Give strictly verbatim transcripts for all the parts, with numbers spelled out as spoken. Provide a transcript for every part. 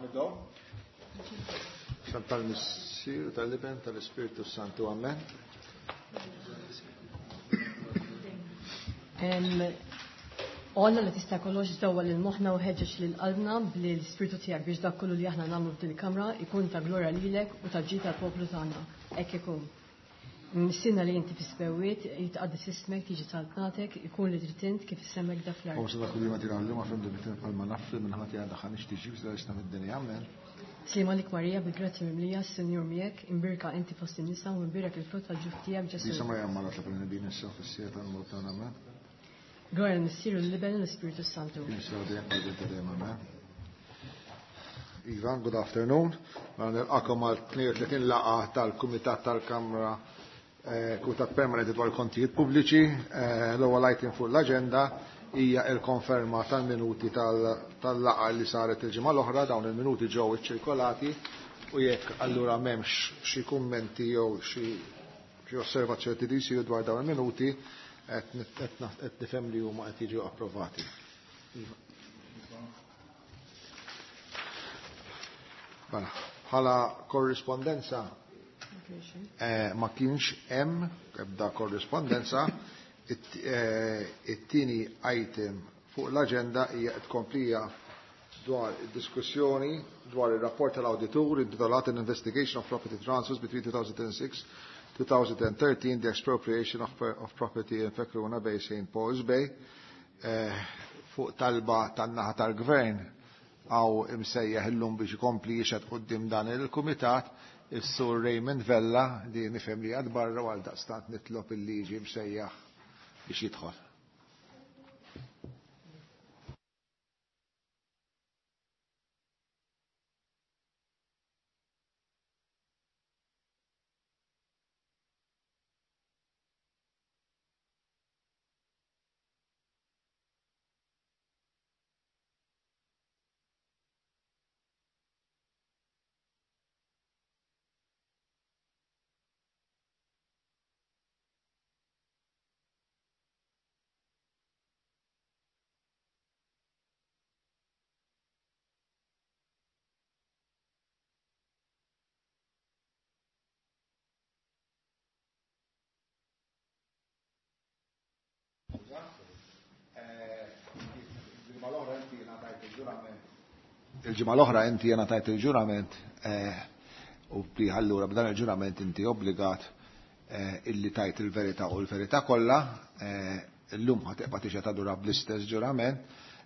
Nibdew? Tal-Missier, tal-Iben, tal-Ispirtu Santu, amen. Alla li tista' kollox dawwa lil moħħna u ħeġġeġ lil qalbna bl-Ispirtu tiegħek biex dak kollu li aħna nagħmlu f'din il-kamra ikun ta' glorja lilek u ta' ġid tal-poplu tagħna. Hekk ikun. Missierna li inti fis-smewwiet, jitqaddes ismek, tiġi saltnatek, ikun li trid int kif issemmek da fl-art. U sa dak li ma tirgħallu ma fem li bħalma nafri minn ħati għandha ħanix tiġi biex mid-dinja, amen. Sliem għalik Marija, bil-grazzja mimlija, s-Sinjur miegħek, imbierka inti fost in-nisa u imbierek il-frott tal-ġuf tiegħek Ġesù. Disa Marija Mara ta' Bnedmin issa fis-siegħa tal-mewt tagħna, amen. Glorja lill-Missier u lill-Iben u l-Ispirtu Santu. Ivan, good afternoon. Mela nilqakom għal tnejn u tletin laqgħa tal-Kumitat tal-Kamra, Kumitat Permanenti dwar il-Kontijiet Pubbliċi. L-ewwel item fuq l-aġenda hija l-konferma tal-minuti tal-laqgħa li saret il-ġimgħa l-oħra. Dawn il-minuti ġew iċċirkolati u jekk allura m'hemmx xi kummenti jew xi osservazzjoni li jsiru dwar dawn il-minuti, qed nifhem li huma qed jiġu approvati. Mela, bħala korrispondenza ma kienx hemm ebda korrispondenza. It-tieni item fuq l-aġenda hija tkomplija dwar id-diskussjoni dwar ir-rapport tal-awditur intitolat An Investigation of Property Transfers between two thousand six two thousand thirteen, the Expropriation of, of Property in Fekruna Bay, Saint Paul's Bay. Fuq talba tan-naħa tal-Gvern għaw imsejjaħ illum biex ikompli jixhed quddiem dan il-Kumitat is-Sur Raymond Vella li nifhem li għad barra u għal daqstant nitlob il-liġi msejjaħ biex jidħol. Il-ġimgħa l-oħra inti jena tajt il-ġurament u li allura b'dan il-ġurament inti obbligat illi tajt il-verità u l-verità kollha. Illum ħa tibqa' tixhed allura bl-istess ġurament,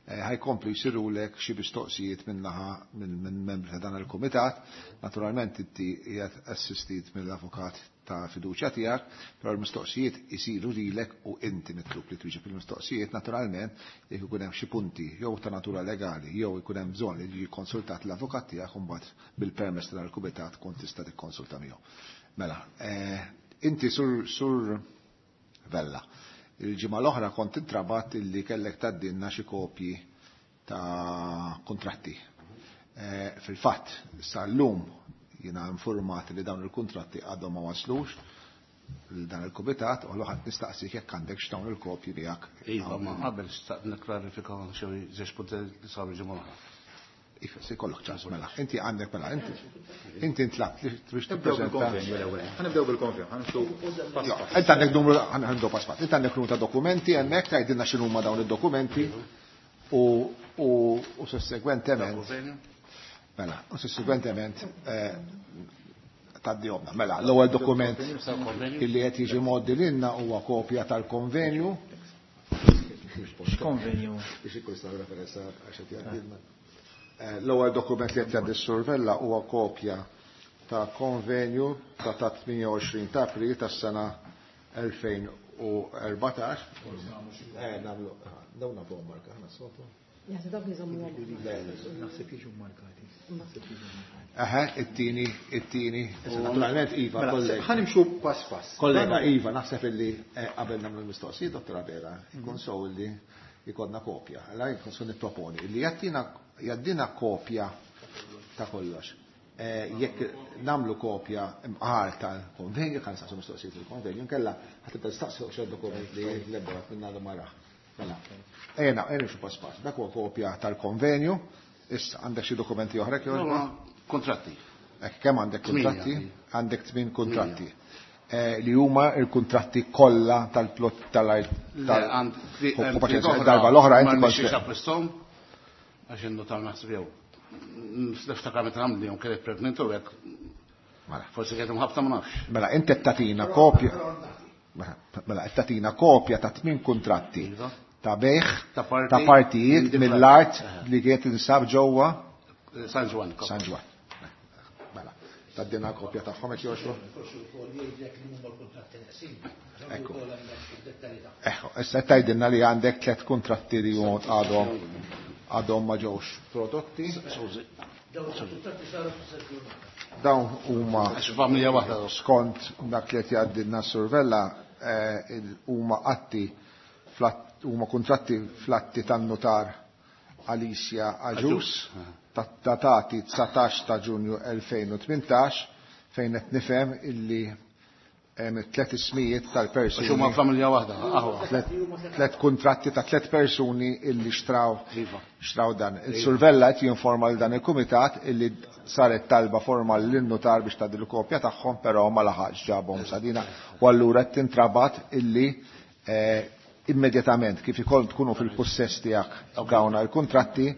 ħajkomplu jsirulek xi mistoqsijiet min-naħa minn membri ta' dan il-kumitat. Naturalment inti qiegħed assistit mill-avukat ta' fiduċja tiegħek, però l-mistoqsijiet isiru lilek u inti mitlub li twieġeb il-mistoqsijiet. Naturalment jekk ikun hemm xi punti jew ta' natura legali jew ikun hemm bżonn li jiġi konsultat l-avukat tiegħek, imbagħad bil-permess ta' dal-kumitat tkun tista' tikkonsulta miegħu. Mela, inti sur sur Vella, il-ġimgħa l-oħra kont intrabat illi kellek tgħaddilna xi kopji ta' kuntratti. Fil-fatt, sal-lum jiena informat li dawn il-kuntratti għadhom ma waslux lil dan il-kumitat, u allura ħadd nistaqsik jekk għandek x'dawn il-kopji tiegħek. Iva, ma qabel xtaqt nikklarifika xi żewġ punti li saru ġimgħa l-oħra. Iva, se jkollok ċans, mela. Inti għandek, mela, inti. Inti ntlabt li biex tippreżenta. Ħanibdew bil-konvenju, ħanibdew pass pass. Inti għandek numru, ħanibdew pass pass. Inti għandek numru ta' dokumenti hemmhekk tgħidilna x'inhuma dawn id-dokumenti u u u sussegwentement. Mela, u sussegwentement tgħaddihomna. Mela, l-ewwel dokument illi qed jiġi mgħoddi lilna huwa kopja tal-konvenju. X'konvenju? Biex ikun jistgħu referenza għax qed jgħaddilna. L-ewwel dokument li qed jgħaddi s-Sur Vella huwa kopja ta' konvenju ta' ta' tmienja u għoxrin ta' April tas-sena elfejn u erbatax. Eh, nagħmlu, dawn nagħmlu marka, ħana s-sotu. Jaħseb dawk li żommu għom. Naħseb jiġu markati. Aha, it-tieni, it-tieni. Naturalment, Iva, kollega. Ħanimxu pass pass. Kollega, Iva, naħseb illi qabel nagħmlu l-mistoqsijiet, Dottor Abela, ikun sew illi jkollna kopja. Allora jkun sew nipproponi illi jagħtina jaddina kopja ta' kollox. Jekk nagħmlu kopja imqar tal-konvenju, kan nistaqsu mistoqsijiet il-konvenju, nkella ħa tibda tistaqsi xi dokument li l-ebda minn għadu ma raħ. Mela, ejna, ejna xi pass pass. Dak huwa kopja tal-konvenju Issa, għandek xi dokumenti oħra kif? Kontratti. Kemm għandek kontratti? Għandek tmien kontratti. Li huma il-kontratti kollha tal-plot tal-art tal-darba l-oħra inti kont. Ma għax in-notar naħseb jew. Niftakar meta għamli jom kienet pregnant u hekk. Forsi kienet imħabta ma nafx. Mela inti qed tagħtina kopja. Mela qed tagħtina kopja ta' tmien kuntratti ta' bejħ ta' partijiet mill-art li kienet tinsab ġewwa San Ġwann. San Ġwann. Mela, taddina kopja tagħhom hekk jogħġbu. Ekku. Ekku, issa tgħidilna li għandek tliet kuntratti li huma għadhom għadhom ma ġewx prodotti. Dawn huma skont dak li qed jgħaddilna s-survella huma atti huma kuntratti flatti tan-notar Alicia Agius datati dsatax ta' Ġunju elfejn u tmintax fejn qed nifhem illi hemm tliet ismijiet tal-persuni. Għax huma familja waħda, aħwa. Tliet kuntratti ta' tliet persuni illi xtraw xtraw dan. Il-survella qed jinforma lil dan il-kumitat illi saret talba formali lin-notar biex tgħaddi l-kopja tagħhom, però ma laħaqx ġabhom sadina. U allura qed tintrabat illi immedjatament kif ikoll tkunu fil-possess tiegħek dawn il-kuntratti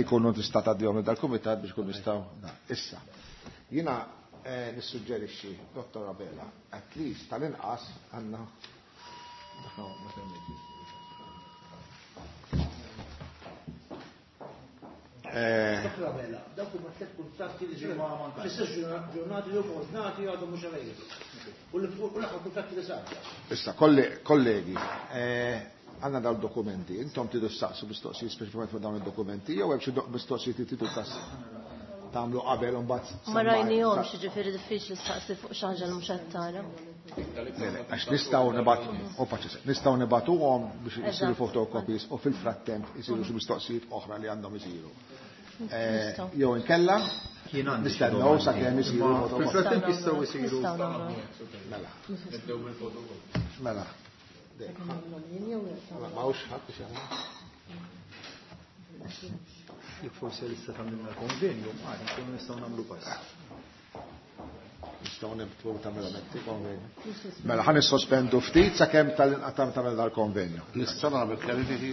ikunu tista' tgħaddihom dal-kumitat biex ikunu nistgħu. Issa. Jiena nissuġġerixxi, Dottor Abela, at least tal-inqas għandna Dottor Abela, dawk huma tliet kuntratti li ġew fl-istess ġurnati li huma ordnati għadhom mhux available. U l-aħħar kuntratti li sar. Issa, kollegi, għandna dawn dokumenti, intom tridu ssaqsu mistoqsijiet speċifikament fuq dawn id-dokumenti jew hemm xi mistoqsijiet li tridu tagħmlu qabel u mbagħad. Ma rajnihomx, jiġifieri diffiċli staqsi fuq xi ħaġa li mhux qed tara. Għax nistgħu nibgħatu, nistgħu nibgħatuhom biex isiru photocopies u fil-frattemp isiru xi mistoqsijiet oħra li għandhom isiru. Jew inkella nistennew sakemm isiru photocopies. Fil-frattemp jistgħu isiru. Mela. Mela. M'hawnx ħadd biex jagħmel. Jekk forsi lista tagħmilna l-konvenju, għad nkunu nistgħu nagħmlu pass. Nistgħu nibtlu tagħmel konvenju. Mela ħa nissospendu ftit sakemm tal-inqatam tagħmel dal-konvenju. Nistgħu nagħmel klarifiki.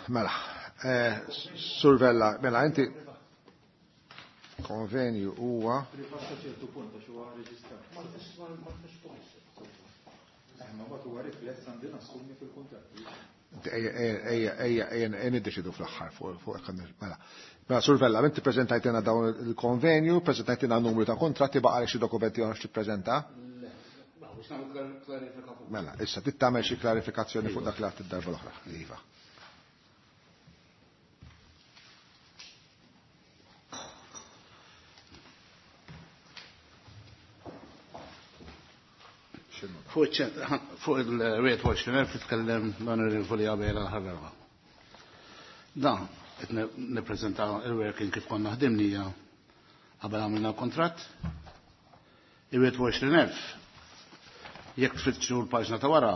Mela, Sur Vella, mela inti konvenju huwa Rifassa ċertu punt għax huwa reġistrat. Ma mbagħad huwa rifless għandi nassumi fil-kuntratt. Ejja, ejja, ejja, ejja, niddeċidu fl-aħħar fuq hekk mela. Mela, Sur Vella, inti preżentajtina dawn il-konvenju, preżentajtina numru ta' kontratti, baqa' xi dokumenti oħra x'tippreżenta? Mela, issa trid tagħmel xi klarifikazzjoni fuq dak li għadt id-darba l-oħra. Iva. Fuq il-wieħed u għoxrin elf titkellem l-Onorevoli Abela l-ħarra. Dan, qed nippreżenta il-working kif konna ħdimnija qabel għamilna l-kontratt. Il-wieħed u għoxrin elf jekk tfittxu l-paġna ta' wara,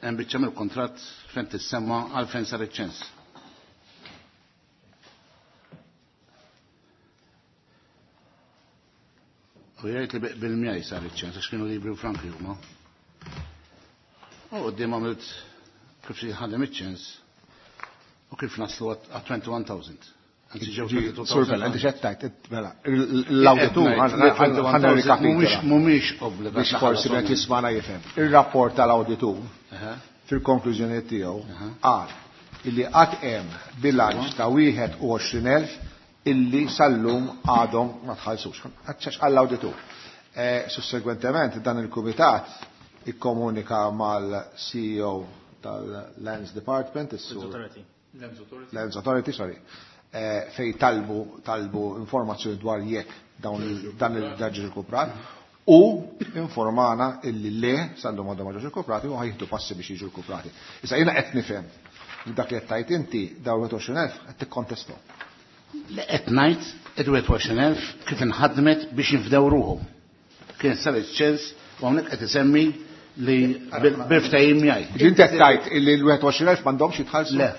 hemm biċċa mill-kontratt fejn tissemma għal fejn sar iċ-ċens. U jgħid li bil-mjaj sar iċ-ċens, għax kienu libri u franki huma. U qudiem għamilt kif xi ħadem iċ-ċens u kif naslu għat twenty one thousand. Sur Vella, inti x'qed tgħid, mela, l-awditur ħa nirrikapitola. Mhumiex obbligat. Biex forsi qed jismana jifhem. Ir-rapport tal-awditur fil-konklużjoni tiegħu qal illi qatt hemm bilanċ ta' wieħed u għoxrin elf illi sal-lum għadhom ma tħallsux. Għax għall-awditur. Sussegwentement dan il-kumitat ikkomunika mal-C E O tal-Lands Department, is-Sur Lands Authority. Lands Authority, sorry. Fej talbu talbu informazzjoni dwar jekk dawn dan il-ġaġġi rkuprati u informana illi le sal-lum għadhom ma ġewx rkuprati u ħajħdu passi biex jiġu rkuprati. Issa jiena qed nifhem li dak li qed tgħid inti dawn wieħed u għoxrin elf qed tikkontestom. Le qed ngħid id-wieħed u għoxrin elf kif inħadmet biex jinfdew ruħhom. Kien sar iċ-ċens u hawnhekk qed isemmi li bil-ftehim jgħid. Inti qed tgħid illi l-wieħed u għoxrin elf m'għandhomx jitħallsu? Le,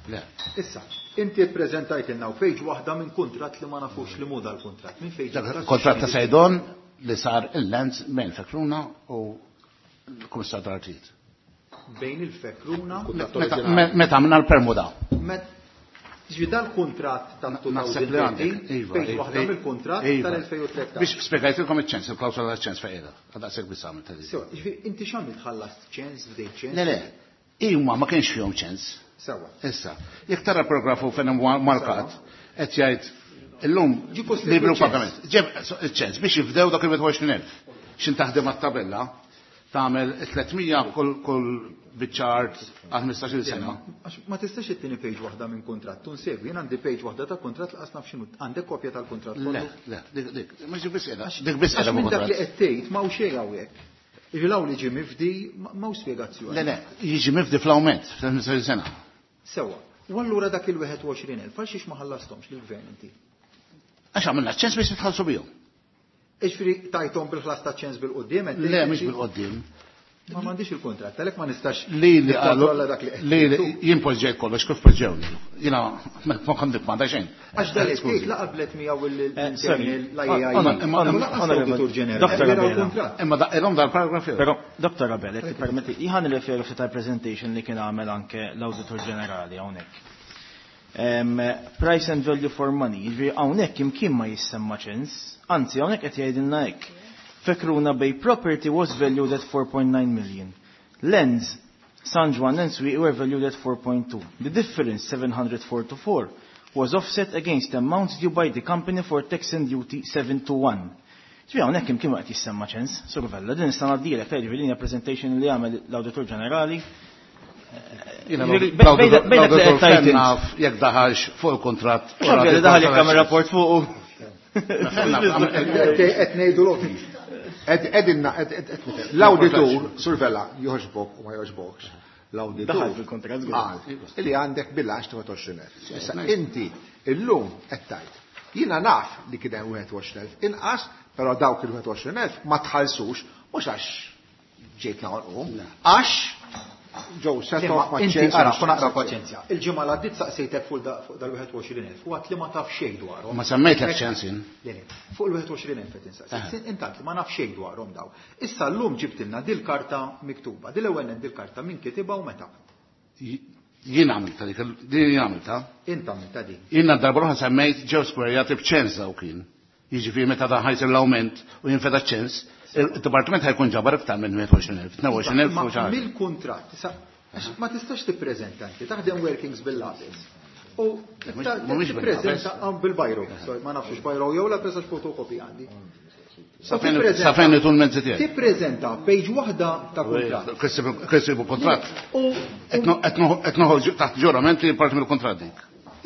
le. Issa, inti ppreżentajtilna page waħda minn kuntratt li ma nafux li mu dal-kuntratt. Minn fejn Dak kontratt ta' Saydon li sar il-Lands bejn Fekruna u l-Kummissar tal-Artijiet. Bejn il-Fekruna Meta għamilna l-permuda. Ġi dal-kuntratt ta' Naħseb li għandek, iva, page iva, waħda mill-kuntratt iva. tal-elfejn u tlettax. Biex spjegajtilkom iċ-ċens, il-klawsola tal-ċens fejn qiegħda. Għadaqshekk biss għamilt tagħlif. Sewa, ġifieri inti x'għamilt ħallast ċens f'dej ċens? Le, le, huma ma kienx fihom ċens. Sewa. Issa, jekk tara paragrafu fejn hemm markat, qed jgħid illum Ġi post libru il-ċens. pagament. Ġeb iċ-ċens biex jifdew dak il-wieħed u għoxrin elf. X'in taħdem għat-tabella, tagħmel tliet mija kull kull biċċa art għal ħmistax-il sena. Għax ma tistax ittini page waħda minn kuntratt, tunsegwi, jien għandi page waħda ta' kuntratt laqas naf x'inhu. Għandek kopja tal-kuntratt Le, kollu? le, dik, dik, ma ġib biss qiegħda, Għax dik biss qiegħda għax minn dak li kuntratt. qed tgħid ma hawn xejn hawnhekk. Jiġi li ġie mifdi ma hawn spjegazzjoni. Le, le, jiġi mifdi fl-awment, fl-ħmistax-il sena. Sewa. U allura dak il-wieħed u għoxrin elf, għal xiex ma ħallasthomx lill-gvern inti? Għax għamilna ċens biex nitħallsu bihom. Iġifieri tajthom bil-ħlas ta' ċens bil-qudiem, qed Le, tgħid mhux inti? bil-qudiem. Ma m'għandix il-kuntratt, għalhekk ma nistax Li li qalu nikkontrolla dak li qed li li tgħid tu. jien poġġejt kollox kif poġġewni. Jiena ma kont ma xejn. Għax dal Skużi. qed la qablet miegħu Eh, sorry. l-I A I. Honor- Imma- honor- Lanqas Honorable l-Awditur Ġenerali. Doctor Era Abela. l-kuntratt. Imma daqilhom dal-paragraf jew. Però, Doctor Abela, jekk tippermetti, jien nirreferu ftit tal-presentation li kien għamel anke l-Awditur Ġenerali hawnhekk. Em, price and value for money, jiġifieri hawnhekk imkien ma jissemma ċens, anzi hawnhekk qed jgħidilna hekk. Fekruna Bay property was valued at four point nine million. Lands, San Juan and Swieqi were valued at four point two. The difference, seven hundred forty-four, was offset against amounts due by the company for tax and duty seven to one. Ġifieri hawnhekk imkien ma qed jissemma ċens, Sur Vella, din nista' ngħaddilek, jiġifieri din hija presentation li għamel l-Awditur Ġenerali. Jiena Jiġifieri, bej- bej- bej- bej- l-Awditur bej- bej- Fenn naf jekk daħalx fuq il-kuntratt. Mhux ovvja li daħal jekk għamel rapport fuqu. Qed ngħidu l-okki. Edinna, l-awditur, Sur Vella, joġbok u ma joġbokx. L-awditur Daħal fil-kuntratt, żgur. qal li għandek bilanċ ta' wieħed u għoxrin elf. Issa inti illum qed tgħid. Jiena naf li kien hemm wieħed u għoxrin elf inqas, però dawk il-wieħed u għoxrin elf ma tħallsux mhux għax ġejt naħolqu, għax ġew set off ma' Inti ċens ara, għax kun naqra paċenzja. Il-ġimgħa li għaddiet saqsejtek fuq da-, fuq dal-wieħed u għoxrin elf u għad li ma taf xejn dwarhom. Ma semmejtlek ċens jien. Le, le, fuq il-wieħed u għoxrin elf qed insaqsik. Intant li ma naf xejn dwarhom daw. Issa llum ġibtilna dil-karta miktuba. Dil-ewwel nett dil-karta min kitibha u meta? Jien għamilta dik, din jien għamilta. Int għamilta din. Jiena darba l-oħra semmejt ġew skwerjati b'ċens daw kien. Jiġifieri meta dan ħajsir l-awment u jinfeda ċens, il-dipartiment ħajkun ġabar iktar minn wieħed u għoxrin elf, tnejn u għoxrin elf u xi ħaġa. Mill-kuntratt, issa, għax ma tistax tippreżenta inti, taħdem workings bil-lapis. U Mhumiex tippreżenta bil-bajro, sorry, ma nafx bajro jew la preżax fotokopi għandi. Sa fejn itul mezzi tiegħi. Tippreżenta page waħda ta' kuntratt. Kessibu kuntratt. U qed noħorġu taħt ġurament li parti mill-kuntratt dik.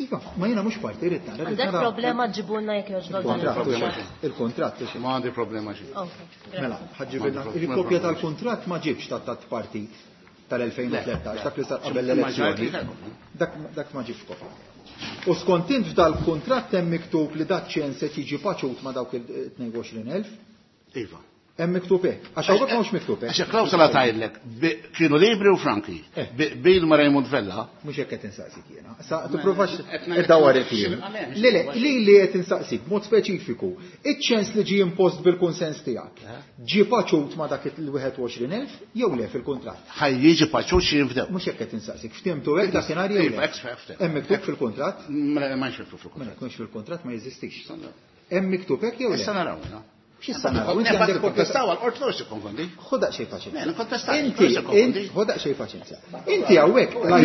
Iva, ma jiena mhux parti rrid nara. Għandek problema ġibulna jekk jogħġbok dan il-kuntratt. Il-kuntratt. Ma għandi problema xejn. Mela, ħaġġibilna il-kopja tal-kuntratt ma ġibx ta' tat partit tal-elfejn u tlettax, dak li sar qabel l-elezzjoni. Dak ma ġibx kopja. U skont int f'dal-kuntratt hemm miktub li dak ċens se tiġi paċut ma' dawk il-tnejn u għoxrin elf? Iva. Hemm miktub hekk. Għax hawnhekk mhux miktub hekk. Għax klawsola tgħidlek kienu Libri u Franki. Bil ma' Raymond Vella. Mhux hekk qed insaqsik jiena. Sa tippruvax iddawwar il-kliem. Le le, li li qed insaqsik b'mod speċifiku, iċ-ċens li ġie impost bil-kunsens tiegħek. Ġie paċut ma' dak il-wieħed u għoxrin elf jew le fil-kuntratt? Ħaj jiġi paċut xi jinfdew. Mhux hekk qed insaqsik. Ftimtu hekk dakinhar jew le? Hemm miktub fil-kuntratt? Ma nxifru fil-kuntratt. Mela, jkunx fil-kuntratt ma jeżistix. Hemm miktub hekk jew le? Issa naraw, no? X'issa naraw? Inti għandek kontestaw għal-qorti l ikkonfondi. Ħoda xejn paċenzja. Le, nikkontestaw. Inti, inti, ħoda xejn paċenzja. Inti hawnhekk ma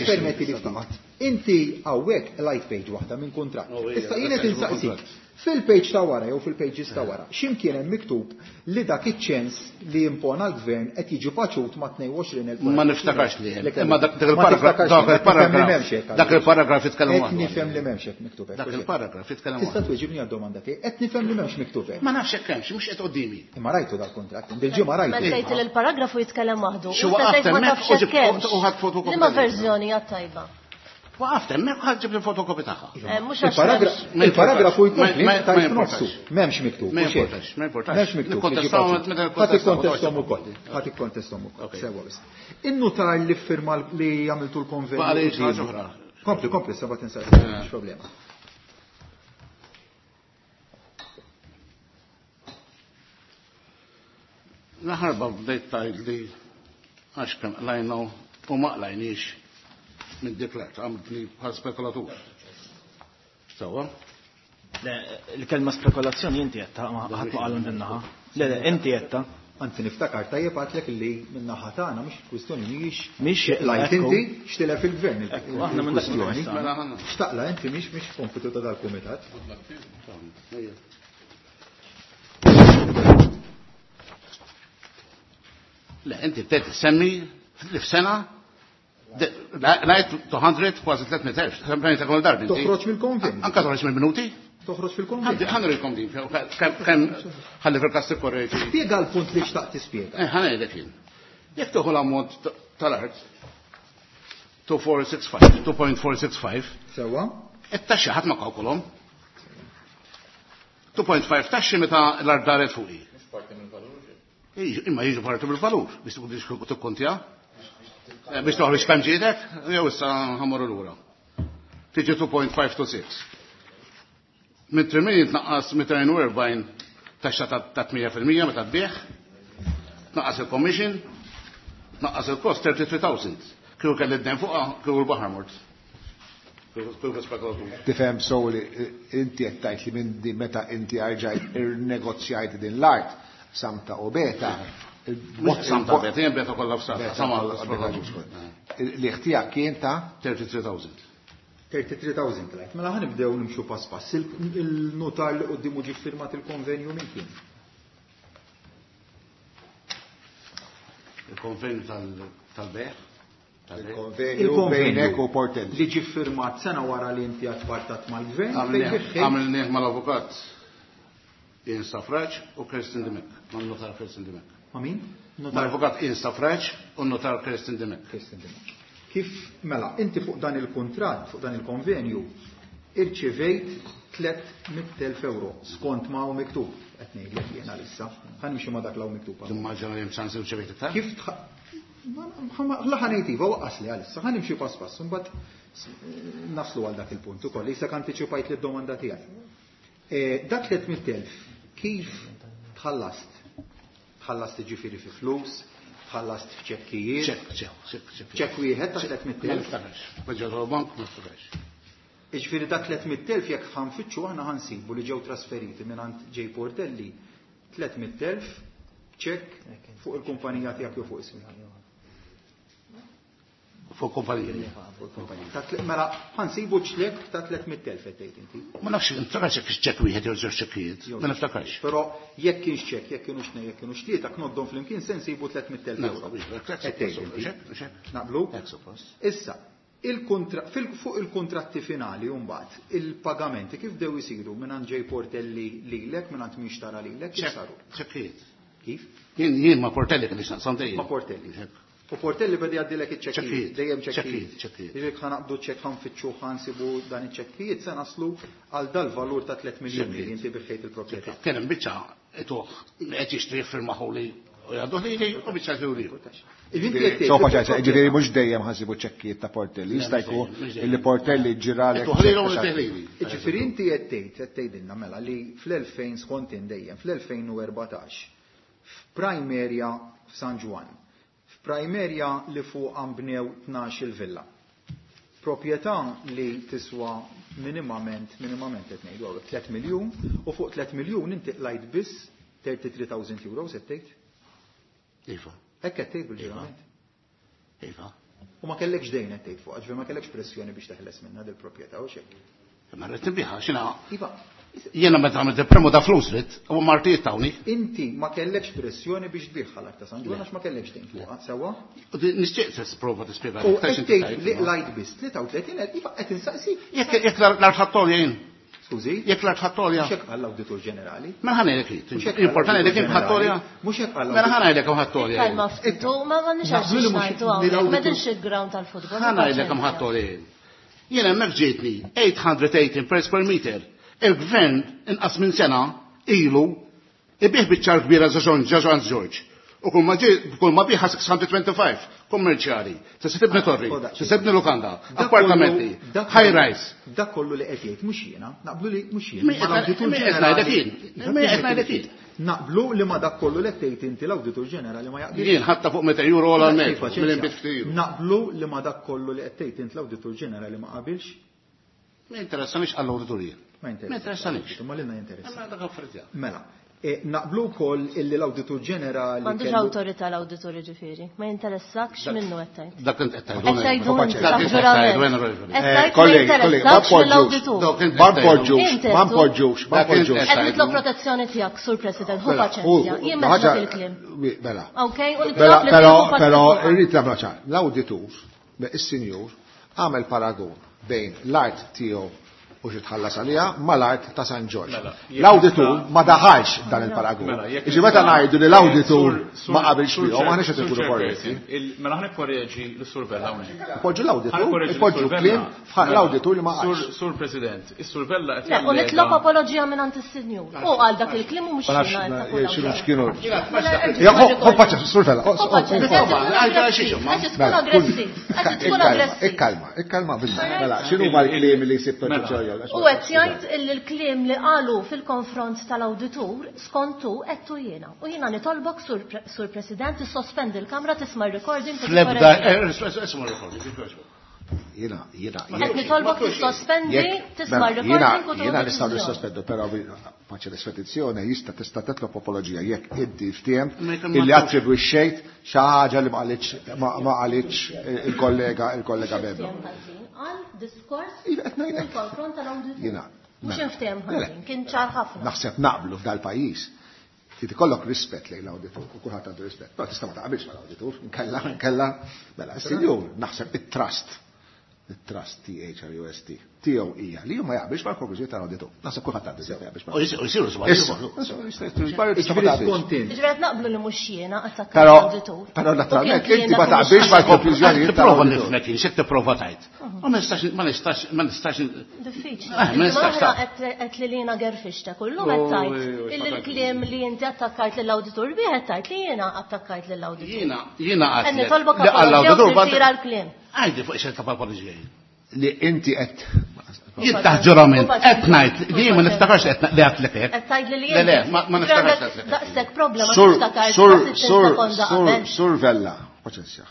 permetti li ftit. Inti hawnhekk light page waħda minn kuntratt. Issa jien qed insaqsik. Fil-page ta' wara jew fil-pages ta' wara, x'imkien hemm miktub li dak iċ-ċens li impona l-gvern qed jiġi paċut ma' tnejn u għoxrin elf. Ma niftakarx li hemm. Imma dak il-paragraf dak il-paragraf jitkellem Qed nifhem li m'hemmx hekk miktub hekk. Dak il-paragraf jitkellem Tista' tweġibni għad-domanda tiegħi. Qed nifhem li m'hemmx miktub hekk. Ma nafx hekk hemmx, mhux qed qudiemi. Imma rajtu dal-kuntratt, dil-ġimgħa rajtu. Mela tgħid li l-paragrafu jitkellem waħdu. Xi waqaf hemmhekk u ħadd fotokopi. Liema verżjoni hija tajba? Waqaft hemmhekk ħadd ġib il-fotokopi tagħha. Il-paragrafu jkompli tajt nofsu. M'hemmx miktub. Ma importax, ma importax. M'hemmx miktub. Ħadd ikkontesthom ukoll. Ħadd ikkontesthom ukoll. Sewwa biss. In-nutar li ffirma li għamiltu l-konvenju. Kompli, kompli, seba' tinsar, m'hemmx problema. L-aħħar bdejt tgħid li għax kemm qlajna u ma qlajniex minn dik l-art, għamiltni bħal spekulatur. Sewwa? Le, il-kelma spekulazzjoni inti għedta, ma ħadd ma qalhom din-naħa. Le, le, inti għedta. Anzi niftakar tajjeb għadlek li min-naħa tagħna mhux kwistjoni mhijiex Mhix lajt inti xtilef il-gvern aħna minn dak il-kwistjoni. Xtaqla inti mhix mhix kompitu ta' dal-kumitat. Le, inti bdejt semmi li f'sena lajt two hundred kważi tliet mitt elf. Semmejta kull darba inti. Toħroġ mill-konvent. Anka toħroġ mill-minuti? Toħroġ fil-konvent. Ħa nurikom din, kemm ħalli fil-każ tikkorreġi. Spjega l-punt li xtaqt tispjega. Eh, ħa ngħidlek jien. Jekk tieħu l-ammont tal-art two four six five, two point four six five. Sewwa. It-taxxi ħadd ma kalkulhom. two point five taxxi meta l-art daret fuqi. Imma jiġu parti mill-valur biex tikkontja. Biex toħroġ kemm ġiedek, jew issa ħammorru lura. Tiġi two point five two six. Minn three million tnaqqas mitejn u erbgħin taxxa ta' tmija fil-mija meta tbigħ, tnaqqas il-commission, tnaqqas il-cost thirty-three thousand. Kieku kelli d-dejn fuqha, kieku l-baħar mort. Kieku spekulatur. Tifhem sew li inti qed tgħid li minn din meta inti rġajt irnegozjajt din l-art Samta u Beta. Mhux Samta Beta, jien Beta kollha f'Samta, sama Li ħtija kien ta' thirty-three thousand. thirty-three thousand lajt. Mela ħa nibdew nimxu pass pass. Il-notar li quddiemu ġie firmat il-konvenju minn kien? Il-konvenju tal-bejgħ? Il-konvenju bejnek u Portelli. Li ġie firmat sena wara li inti għatpartat mal-gvern. Għamilnieh mal-avukat Ian Stafrace u Kirsten Dimech. Ma' notar Kirsten Dimech. Ma' min? Mal-avukat Ian Stafrace u notar Kirsten Dimech. Kirsten Dimech. Kif, mela, inti fuq dan il-kuntratt, fuq dan il-konvenju, irċivejt tliet mitt elf euro skont ma hu miktub, qed ngħidlek jiena issa, ħa nimxi ma dak l hawn miktub. Timmaġina li hemm ċans irċivejt iktar? Kif tħ-, la ħa ngħid iva, waqqas li għalissa, ħa nimxi pass pass, imbagħad naslu għal dak il-punt ukoll, issa antiċipajt li d-domanda tiegħi. Dak tliet mitt elf kif tħallast? Tħallast jiġifieri fi flus, Tħallast f'ċekkijiet? Ċekk, ċekk, ċekk. Ċekk wieħed ta' tliet mitt Ma elf? niftakarx. Ma ġew bank ma niftakarx. Jiġifieri da tliet mitt elf jekk ħanfittxu aħna ħansibu li ġew trasferiti mingħand J Portelli tliet mitt elf ċekk fuq il-kumpanija tiegħek jew fuq ismi. Fuq kumpanija. Fuq il-kumpanija. Ta' tliet- Mela ħansibu ċlek ta' tliet mitt elf qed tgħid inti. Ma nafx, niftakarx jekk ċekk wieħed jew żewġ ċekkijiet. Ma niftakarx. Però jekk kienx ċekk, jekk kienux tnejn, jekk kienux tlieta, knoddhom flimkien se nsibu tliet mitt elf euro. Qed tgħid inti. Naqblu? Issa, il-kontra-, fil-, fuq il-kontratti finali mbagħad, il-pagamenti kif bdew isiru mingħand J Portelli lilek, mingħand min xtara lilek, kif saru? Ċekkijiet. Kif? Jien jien ma' Portelli kien nixtaqsam dejjem. Ma' Portelli. U Portelli beda jgħaddilek iċ-ċekkijiet, Ċekkijiet, dejjem ċekkijiet. ċekkijiet, ċekkijiet. Jiġifieri ħa naqbdu ċekk, ħa nfittxu, ħa nsibu dan iċ-ċekkijiet, se naslu għal dal-valur ta' tliet miljuni li inti biħejt il-proprjetà. Kien hemm biċċa ituh qed jixtri firmaħu li u jgħaddu lili u biċċa jgħidu li. Sofa ċajsa, ġifieri mhux dejjem ħansibu ċekkijiet ta' Portelli, jista' jkun illi Portelli ġiralek. Ituh lili u lili. Ġifieri inti qed tgħid, qed tgħidilna mela li fl-elfejn skont dejjem, fl-elfejn u erbatax, f'prime area f'San Ġwann, f'prime area li fuq nbnew tnax il-villa. Proprjetà li tiswa minimament, minimament qed ngħidu hawnhekk tliet miljun, u fuq tliet miljun inti qlajt biss thirty-three thousand euros qed tgħid? Iva. Hekk qed tgħid bil-ġurament. Iva. U ma kellekx dejn qed tgħid fuq, ġifieri ma kellekx pressjoni biex teħles minnha dil-proprjetà u xejn. Ma rrid nbiħha x'inha. Iva. Jiena meta għamilt il-premu ta' flus rid, u martijiet tawni. Inti ma kellekx pressjoni biex tbiħha l-art ta' San Ġwann għax ma kellekx dejn fuqha, sewwa? U di- nixtieq tisprova tispjega. U qed tgħid li qlajt biss tlieta u tletin elf, iva qed insaqsik. Jekk jekk l-art ħattolja jien. Skużi? Jekk l-art ħattolja. Mhux hekk qal l-Awditur Ġenerali. Mela ħa ngħidlek jien. Mhux hekk qal Importanti li kien l-Awditur ħattolja. Ġenerali. Mhux hekk qal Mela ħa ngħidlek hemm ħattolja. Kalma ftit, u ma m'għandniex għax Naqblu li mhux ngħidu li hawnhekk, l-awditur- m'għedinx il-ground tal-futbol. Ħa ngħidlek hemm ħattolja jien. Jien hemmhekk ġietni eight hundred eighteen per square meter. Il-gvern inqas minn sena ilu ibih biċ-ċar kbira Ġaġon Ġaġon Ġorġ. U kull ma ġie, kull ma biħa six hundred twenty-five kummerċjali. Se se tibni torri, se se tibni lukanda, Dak appartamenti, kollu- dak high kollu- rise. Dak kollu li qed jgħid mhux jiena, naqblu li mhux jiena. Mi Ma l-Awditur qed ngħidlek Ġenerali- jien. Mi qed ngħidlek jien. Naqblu li ma dak kollu li qed tgħid inti l-Awditur Ġenerali ma jaqbilx. Jien ħatta fuq meta euro għal metru, Paċenzja. mill-inbit ftit. Naqblu li ma dak kollu li qed tgħid inti l-Awditur Ġenerali ma qabilx. Ma interessanix għall-awditur jien. Ma Ma interessanix. Ma lilna jinteressa. Ma dak affarijiet. Mela, e, naqblu wkoll illi l-Awditur Ġenerali M'għandux kellu- awtorità l-awditur ġifieri. Ma jinteressakx minnu qed tgħid. Dak int qed tgħidu. Qed tgħidu Dak inti, int qed ġurament. tgħidu, onorevoli. Qed tgħid ma Kollegi, kollegi, ma jinteressakx poġġux. mill-awditur. Dawk int Ma qed tgħidu. poġġux, Inti ma qed poġġux, ma Dak int poġġux. qed Qed nitlob tgħidu. protezzjoni tiegħek, Sur President, hu Mela, paċenzja. hu- Jien ħaġa- meħtieġ il-kliem. Mela. Ok, u Mela, nitlob li però, tieħu però, paċenzja. irrid nagħmel ċar. L-awditur, is-sinjur, għamel paragun bejn l-art tiegħu u xi tħallas għaliha mal-art ta' San Ġorġ. Mela, jekk L-awditur nista' ma daħalx dan il-paragun. Mela, jekk Iġi meta nista' ngħidu li l-awditur Sur- sur- ma qabilx sur bihom, Chair- aħna x'qed Sur ikunu Chairperson, korretti. il- Mela ħa nikkorreġi l-Sur Vella hawnhekk. Poġġu l-awditur, Ħa nikkorreġi poġġu l-Sur Vella. kliem f'ħaq Mela, l-awditur li ma Sur- qalx. Sur President, is-Sur Vella qed Le, u jallega- nitlob apoloġija minn is-sinjur. U għal dak il-kliem u mhux Ma nafx jiena qed ma- takul xinu hawnhekk. x'kienu. Mela, erġa' Ja, ħu ħu paċa, Sur Vella. Hu paċenzja, Mela, qed tkun għal xiex, ma? aggressiv, qed tkun aggressiv, qed tkun aggressiv. Ikkalma, ikkalma bilna. Mela, x'inhu ma l-kliem li jsib Mela. ġojja? U qed jgħid illi l-kliem li qalu fil-konfront tal-awditur skontu qed jiena. U jiena nitolbok Sur Pre- Sur President tissospendi l-kamra tisma' r-recording u Fl-ebda, tikkorreġi. ismu recording, jekk Jiena, jiena. Qed nitolbok tissospendi, Jekk- tisma' mela, r-recording u jiena- Jiena nistgħu tieħu deċiżjoni. nissospendu, però faċi l-espedizzjoni jista' tista' titlob apoloġija jekk inti ftiehem Ma jkun illi ma- attribwixxejt xi ħaġa li ma qalitx ma ma qalitx il-kollega il-kollega Bebbo. Ftiehem ħażin għal diskors Iva, qed ngħidlek. fil-konfront tal-awditur. Jiena. Mhux mela. inftiehem Le, le. ħażin, kien ċar ħafna. Naħseb naqblu f'dal-pajjiż. Trid ikollok rispett lejn l-awditur, u kulħadd għandu rispett. Però tista' ma taqbilx mal-awditur, nkella nkella mela, is-sinjur naħseb it-trust. It-trust T H R U S T. Tiegħu hija li ma jaqbilx mal-konklużjoni tal-awditur. Naħseb kulħadd għandu ma jaqbilx U jisiru żbalji. Issa, issa, jista' jisiru żbalji, tista' ma Ġifieri taqbilx. skont int. Ġifieri qed naqblu li mhux jiena attakkajt Però l-awditur. però U kien naturalment kliem inti ma dak mhux taqbilx ħażin. mal-konklużjonijiet Tipprova tal-awditur. nifhmek jien, x'qed tipprova tgħid. Ma nistax ma nistax ma nistax Diffiċli. Eh, ma nistax Il-ġimgħa ta' qed qed li jiena gerfixta kullum qed tgħid illi l-kliem li inti attakkajt lill-awditur bih qed tgħid li jiena attakkajt lill-awditur. Jiena jiena Qed għatlek. nitolbok Li apoloġija u għall-awditur tirtira l-kliem. Għajdi fuq ix ta' apoloġija. Li inti qed Jien taħt ġurament, qed ngħid li ma niftakarx qed li għedtlek hekk. Qed tgħidli li Le, le, ma niftakarx għedtlek. Daqshekk problema Sur, tiftakar sur, sittin sur, sekonda sur, qabel. sur Vella, paċenzja.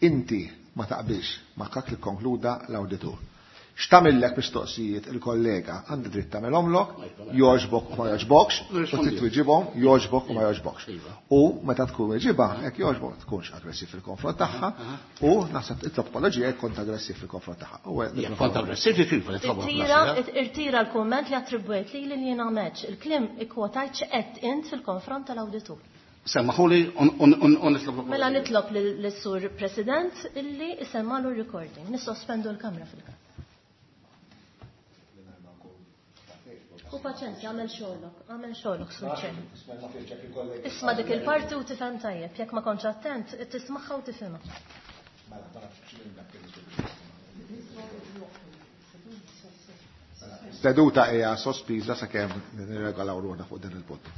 Inti ma taqbilx ma dak li konkluda l-awditur. X'tagħmillek mistoqsijiet il-kollega għandi dritt tagħmelhomlok, jogħġbok u ma jogħġbokx, u trid twiġibhom, jogħġbok u ma jogħġbokx. U meta tkun weġiba, hekk jogħġbok tkunx aggressiv fil-konfront tagħha u naħseb itlob apoloġija jekk kont aggressiv fil-konfront tagħha. U Jekk kont aggressiv kif nitlob Irtira, irtira l-komment li attribwejt li li jiena għamilx. Il-kliem ikkwotajt x'qed int fil-konfront tal-awditur. Semmaħuli u nitlob Mela nitlob lis-sur President illi isemmalu r-recording. Nissospendu l-kamra fil-każ. U paċenzja, għamel xogħlok, għamel xogħlok, sur Chair. Isma' dik il-parti u tifhem tajjeb, jekk ma kontx attent, tismagħha u tifhimha. Seduta hija sospiża sakemm nirregolaw ruħna fuq din il-punt.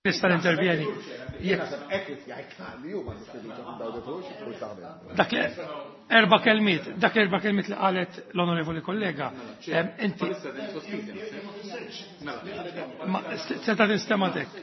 Nista' nintervjeni. Dak li erba' kelmiet, dak erba' kelmiet li qalet l-onorevoli kollega. Inti seta' tinstema' tek.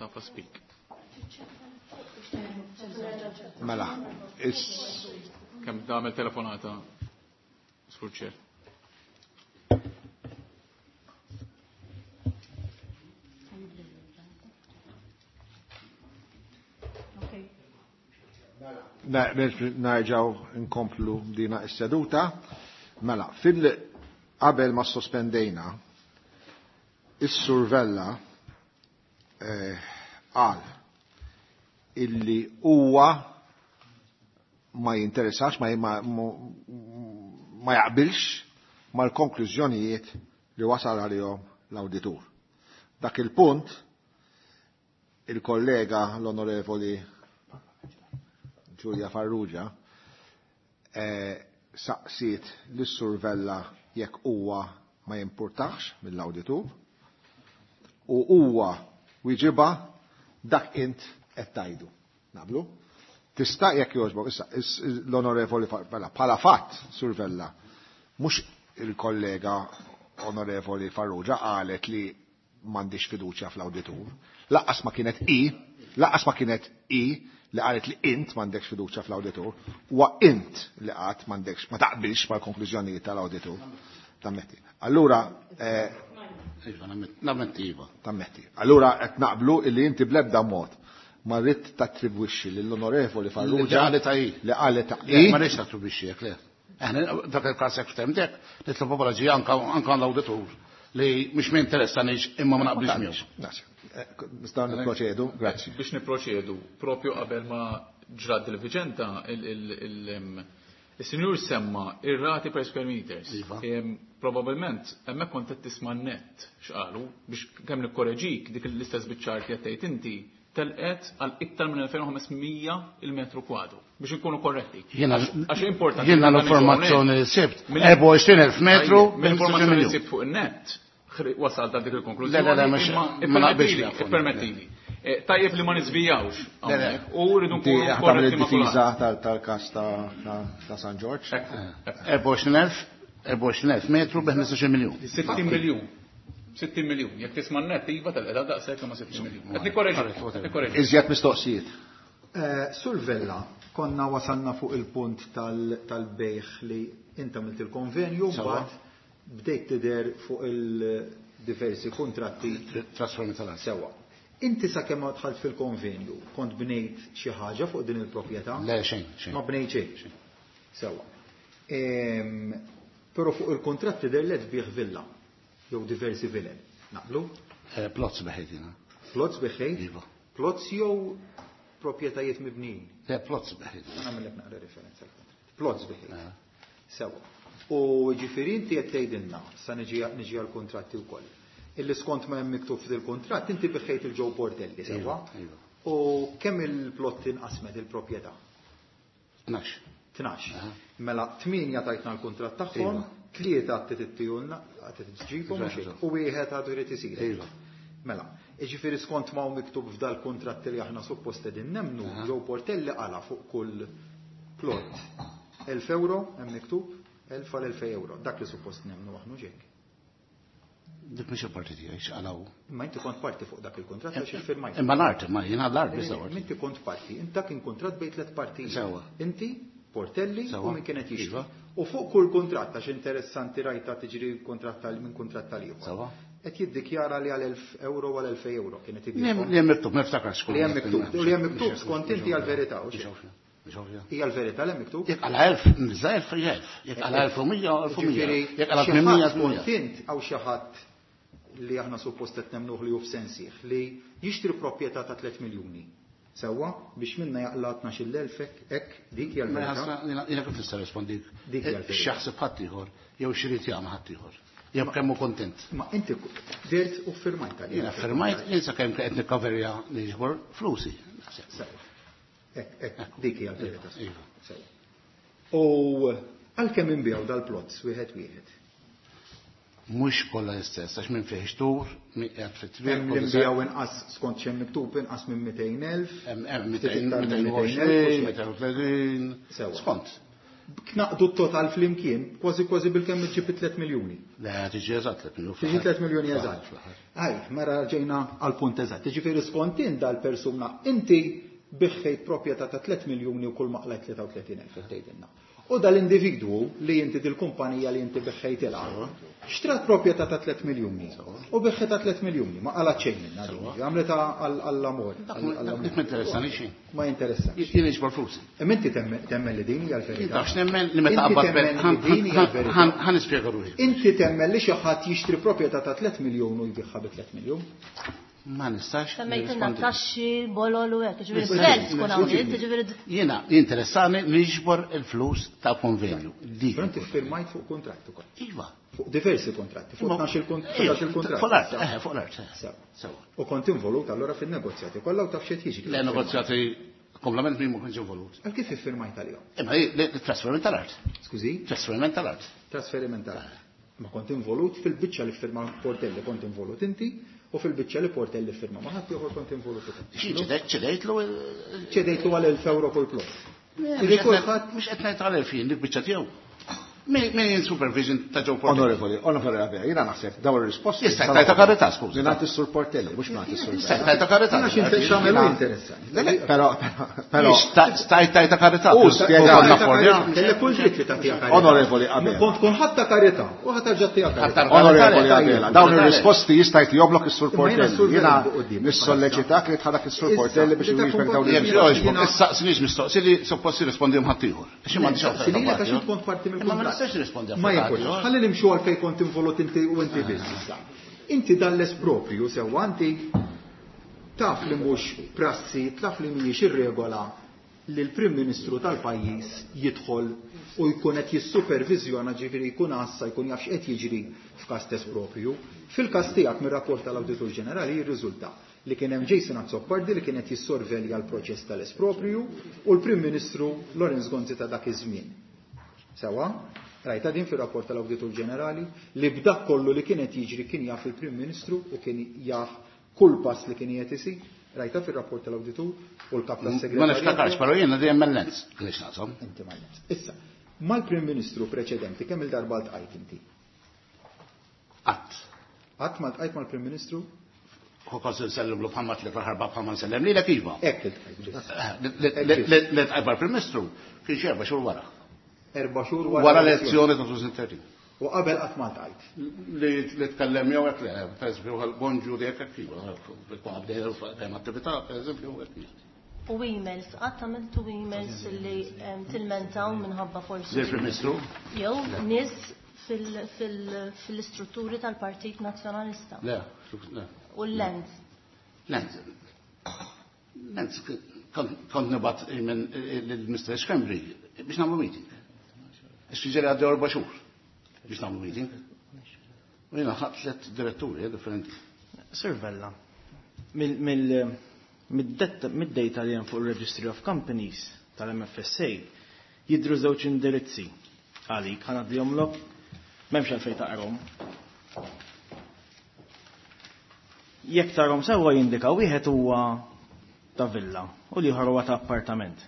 Speak. Mela, is kemm tagħmel telefonata Sur Chair. Nerġgħu nkomplu dina is-seduta. Mela, fil qabel ma sospendejna is-Sur Vella qal illi huwa ma jinteressax, ma, ma, ma jaqbilx mal-konklużjonijiet li wasal għalihom l-awditur. Dak il-punt il-kollega l-onorevoli Giulia Farrugia eh, saqsiet lis-Sur Vella jekk huwa ma jimpurtax mill-awditur u huwa wieġibha dak int qed tgħidu. Naqblu? Tista' jekk jogħġbok, issa l-onorevoli Vella, bħala fatt, Sur Vella, mhux il-kollega onorevoli Farrugia qalet li m'għandix fiduċja fl-awditur. Laqqas ma kienet i, laqqas ma kienet i li qalet li int m'għandekx fiduċja fl-awditur, huwa int li qatt m'għandekx ma taqbilx mal-konklużjonijiet tal-awditur. Tammetti. Allura Iva, nammetti iva. Tammetti. Allura qed naqblu illi inti bl-ebda mod ma rrid tattribwixxi lill-onorevoli Farrugia li qalet hi. Li qalet hi. Ma rridx tattribwixxi hekk le. Aħna dak il-każ hekk ftemtek, nitlob apoloġija anke anke l-awditur li mhux minn interessanix imma ma naqblix miegħu. Nistgħu nipproċedu, grazzi. Biex nipproċedu, propju qabel ma ġrat il-viċenta il-sinjur semma ir-rati per square meters. Probabilment hemmhekk kont qed tisma' net x'qalu biex kemm nikkoreġik dik l-istess biċ-ċart li qed tgħid inti telqet għal iktar minn elfejn u ħames mija il-metru kwadru biex inkunu korretti. Għax importanti. Jiena l-informazzjoni li sibt erbgħa u għoxrin elf metru mill-informazzjoni li sibt fuq in-net wasalt għal dik il-konklużjoni. Le, le, le, ma naqbilx. Ippermettili. Tajjeb li ma niżvijawx. U rridu nkunu korretti ma' id-difiża tal-każ ta' San Ġorġ. erbgħa u għoxrin elf erbgħa u għoxrin elf metru bi ħmistax-il miljun. sittin miljun. sittin miljun. Jekk tisma' net iva tal-qeda daqshekk ma' sittin miljun. Qed nikkoreġi, nikkoreġi. Iżjed mistoqsijiet. Sur Vella, konna wasalna fuq il-punt tal-bejħ li inta għamilt il-konvenju, mbagħad bdejt tidher fuq il-diversi kontratti. Trasformi tal-art. Sewwa. Inti sakemm ma dħalt fil-konvenju, kont bnejt xi ħaġa fuq din il-proprjetà? Le, xejn, xejn. Ma bnejt xejn. Sewwa. Però fuq il-kontratti tidher li tbigħ villa jew diversi vilel. Naqblu? Plots beħejt jiena. Plots beħejt? Iva. Plots jew proprjetajiet mibnijin? Le, plots beħejt. Nagħmellek naqra referenza għall-kontratt. Plots beħejt. Sewwa. U ġifieri inti qed tgħidilna, sa niġi għall-kuntratti wkoll. Illi skont ma hemm miktub fil-kuntratt inti biħejt il-Joe Portelli, sewwa? U kemm il-plot inqasmet il-proprjetà? Tnax. Tnax. Mela tmienja tajtna l-kuntratt tagħhom, tlieta għad għad tġibhom u wieħed għadu jrid isir. Mela, jiġifieri skont ma hu miktub f'dal-kuntratt li aħna suppost qegħdin nemmnu, Joe Portelli qala fuq kull plot elf euro hemm miktub, elf għal elfej euro. Dak li suppost nemmnu aħna ġek. Dik mhix il-parti tiegħi x'qalaw. Imma inti kont parti fuq dak il-kuntratt għax iffirmajt. Imma l-art, ma jiena l-art biss. Inti kont parti, inta kien kuntratt bejn tliet partijiet. Inti, Portelli u min kienet jixtri. U fuq kull kuntratt għax interessanti rajta tiġri kuntratt tal minn kuntratt tal ieħor. Qed jiddikjara li għal elf euro għal elfej euro kienet ibigħ. Li hemm miktub, ma niftakarx. Li hemm miktub, li hemm miktub skont inti għall-verità. Hija l-verità li miktub? Jekk għal elf, nizza elf, elf. Jekk għal elf u mija, elf u mija. Jekk għal tmien mija, skont int hawn xi ħadd li aħna suppost qed nemnuh li hu f'sensih li jixtri proprjetà ta' tliet miljuni. Sewwa biex minna jaqla' tnax-il elf hekk dik hija l-verità. Jiena kif nista' nirrispondik? X'jaħseb ħadd ieħor jew x'irid jagħmel ħadd ieħor. Jew kemm hu kontent. Ma inti dirt u firmajt għalih. Jiena firmajt, jien sakemm qed nikkaverja niġbor flusi. Sewwa. Hekk, hekk, dik hija l-verità. Sewwa. U għalkemm inbiegħu dal-plots wieħed wieħed. Mhux kollha l-istess, għax minn fih xtur, min qiegħed fit-triq. Hemm li nbiegħu inqas skont x'hemm miktub inqas minn mitejn elf. Hemm mitejn u għoxrin, mitejn u tletin. Skont. Knaqdu t-total flimkien, kważi kważi bilkemm iġġib tliet miljuni. Le, tiġi eżatt tliet miljuni. Tiġi tliet miljuni eżatt. Ej, mela ġejna għal punt eżatt. Jiġifieri skont int dal-persuna inti biħħejt proprjetà ta' tliet miljuni u kull ma qlajt tlieta u tletin elf tgħidilna. U dal-individwu li inti dil-kumpanija li inti biħħejtilha, xtrat proprjetà ta' tliet miljuni u biħħejtha tliet miljuni, ma qalat xejn minnha din, għamlitha għall-amor. Dik ma interessani xejn. Ma jinteressani. Jien niġbor flusi. Imma inti temmen li din hija l-verità. Għax nemmen li meta qabad ħa nispjega ruħi. Inti temmen li xi ħadd jixtri proprjetà ta' tliet miljun u jbiħħa bi tliet miljun? Ma nistax. Semmejtilna taxxi, bolol u hekk, ġifieri self tkun hawnhekk, ġifieri. Jiena jinteressani niġbor il-flus ta' konvenju. Però inti ffirmajt fuq kuntratt ukoll. Iva. Fuq diversi kontratti, fuq tnax-il kuntratt. Fuq l-art, eh, fuq l-art. Sewa. U kont involut allura fin-negozjati kollha u taf x'qed jiġri. Le negozjati komplement min ma kienx involut. Għal kif iffirmajt għalihom? Imma trasferiment tal-art. Skużi? Trasferiment tal-art. Trasferiment tal-art. Ma kont involut fil-biċċa li ffirma Portelli kont involut inti. U fil-biċċa li Portelli firma ma ħadd ieħor kont involut ukoll. Ċedejtlu ċedejtlu għal elf euro kull plot. Mhux qed ngħid għal elf jien dik biċċa tiegħu. Min in supervision ta' Joe Portelli? Onorevoli, onorevoli Abela, jiena naħseb dawn ir-risposti. Jista' tajta karità, skużi. Mingħand is-Sur Portelli, mhux mingħand is-Sur. Jista' tajta karità. X'għamelu interessanti. Però però stajt tajta karità. U spjega. Kellek kull dritt li tagħtiha karità. Onorevoli Abela. Kont tkun ħadd ta' karità u ħadd terġa' tagħtiha karità. Onorevoli Abela, dawn ir-risposti jista' jtihomlok is-Sur Portelli. Jiena nissolleċitak li tħadak is-Sur Portelli biex iwieġbek dawn ir-risposti. Issaqsinix mistoqsi li suppost jirrispondihom ħadd ieħor. Għax m'għandix għax kont parti mill-kuntratt. Ma jimpurtax. Ħalli nimxu għal fejn kont involut inti u inti biss issa. Inti dan l-esproprju sewwa inti taf li mhux prassi, taf li mhijiex ir-regola li l-Prim Ministru tal-pajjiż jidħol u jkun qed jissuperviżjona, ġifieri jkun għassa, jkun jaf x'qed jiġri f'każ esproprju. Fil-każ tiegħek mir-rapport tal-Awditur Ġenerali jirriżulta li kien hemm Jason Azzopardi li kien qed jissorvelja l-proċess tal-esproprju u l-Prim Ministru Lawrence Gonzi ta' dak iż-żmien. Sewa, rajta din fir-rapport tal-Awditur Ġenerali li b'dak kollu li kienet jiġri kien jaf il-Prim Ministru u kien jaf kull pass li kien qed isir. Rajta fir-rapport tal-Awditur u l-kap tas-segretarju. Ma niftakarx, però jiena dejjem mal-lens. Għaliex naqshom? Inti mal-lens. Issa, mal-Prim Ministru preċedenti kemm il-darba ltqajt inti? Qatt. Qatt ma ltqajt mal-Prim Ministru? Kos nsellimlu bħalma tliet ħarba bħalma nsellem lilek iva. Hekk iltqajt. Li ltqajt mal-Prim Ministru kien xi erba' xhur wara. Erba' xhur wara l-elezzjoni ta' elfejn u tlettax. U qabel qatt ma ltqajt. Li tkellem jew hekk le, pereżempju bonġu dik hekk iva, qabel hemm attività pereżempju hekk. U emails, qatt għamiltu emails li tilmentaw minħabba forsi. Lill-Prim Ministru? Jew nies fil-istrutturi tal-Partit Nazzjonalista. Le, le. U l-Lenz. Lenz. Lenz kont nibgħat minn lill-Mister Schembri biex nagħmlu meeting. Ix-ġeri għaddew erba' xhur biex nagħmlu meeting. U jiena ħadt tliet diretturi differenti. Sir Vella, mid-data li hemm fuq il-Registry of Companies tal-M F S A jidhru żewġ indirizzi għalik, ħa ngħaddihomlok, m'hemmx għalfejn taqrahom. Jekk tarhom sewwa jindika wieħed huwa ta' villa u l-ieħor huwa ta' appartament.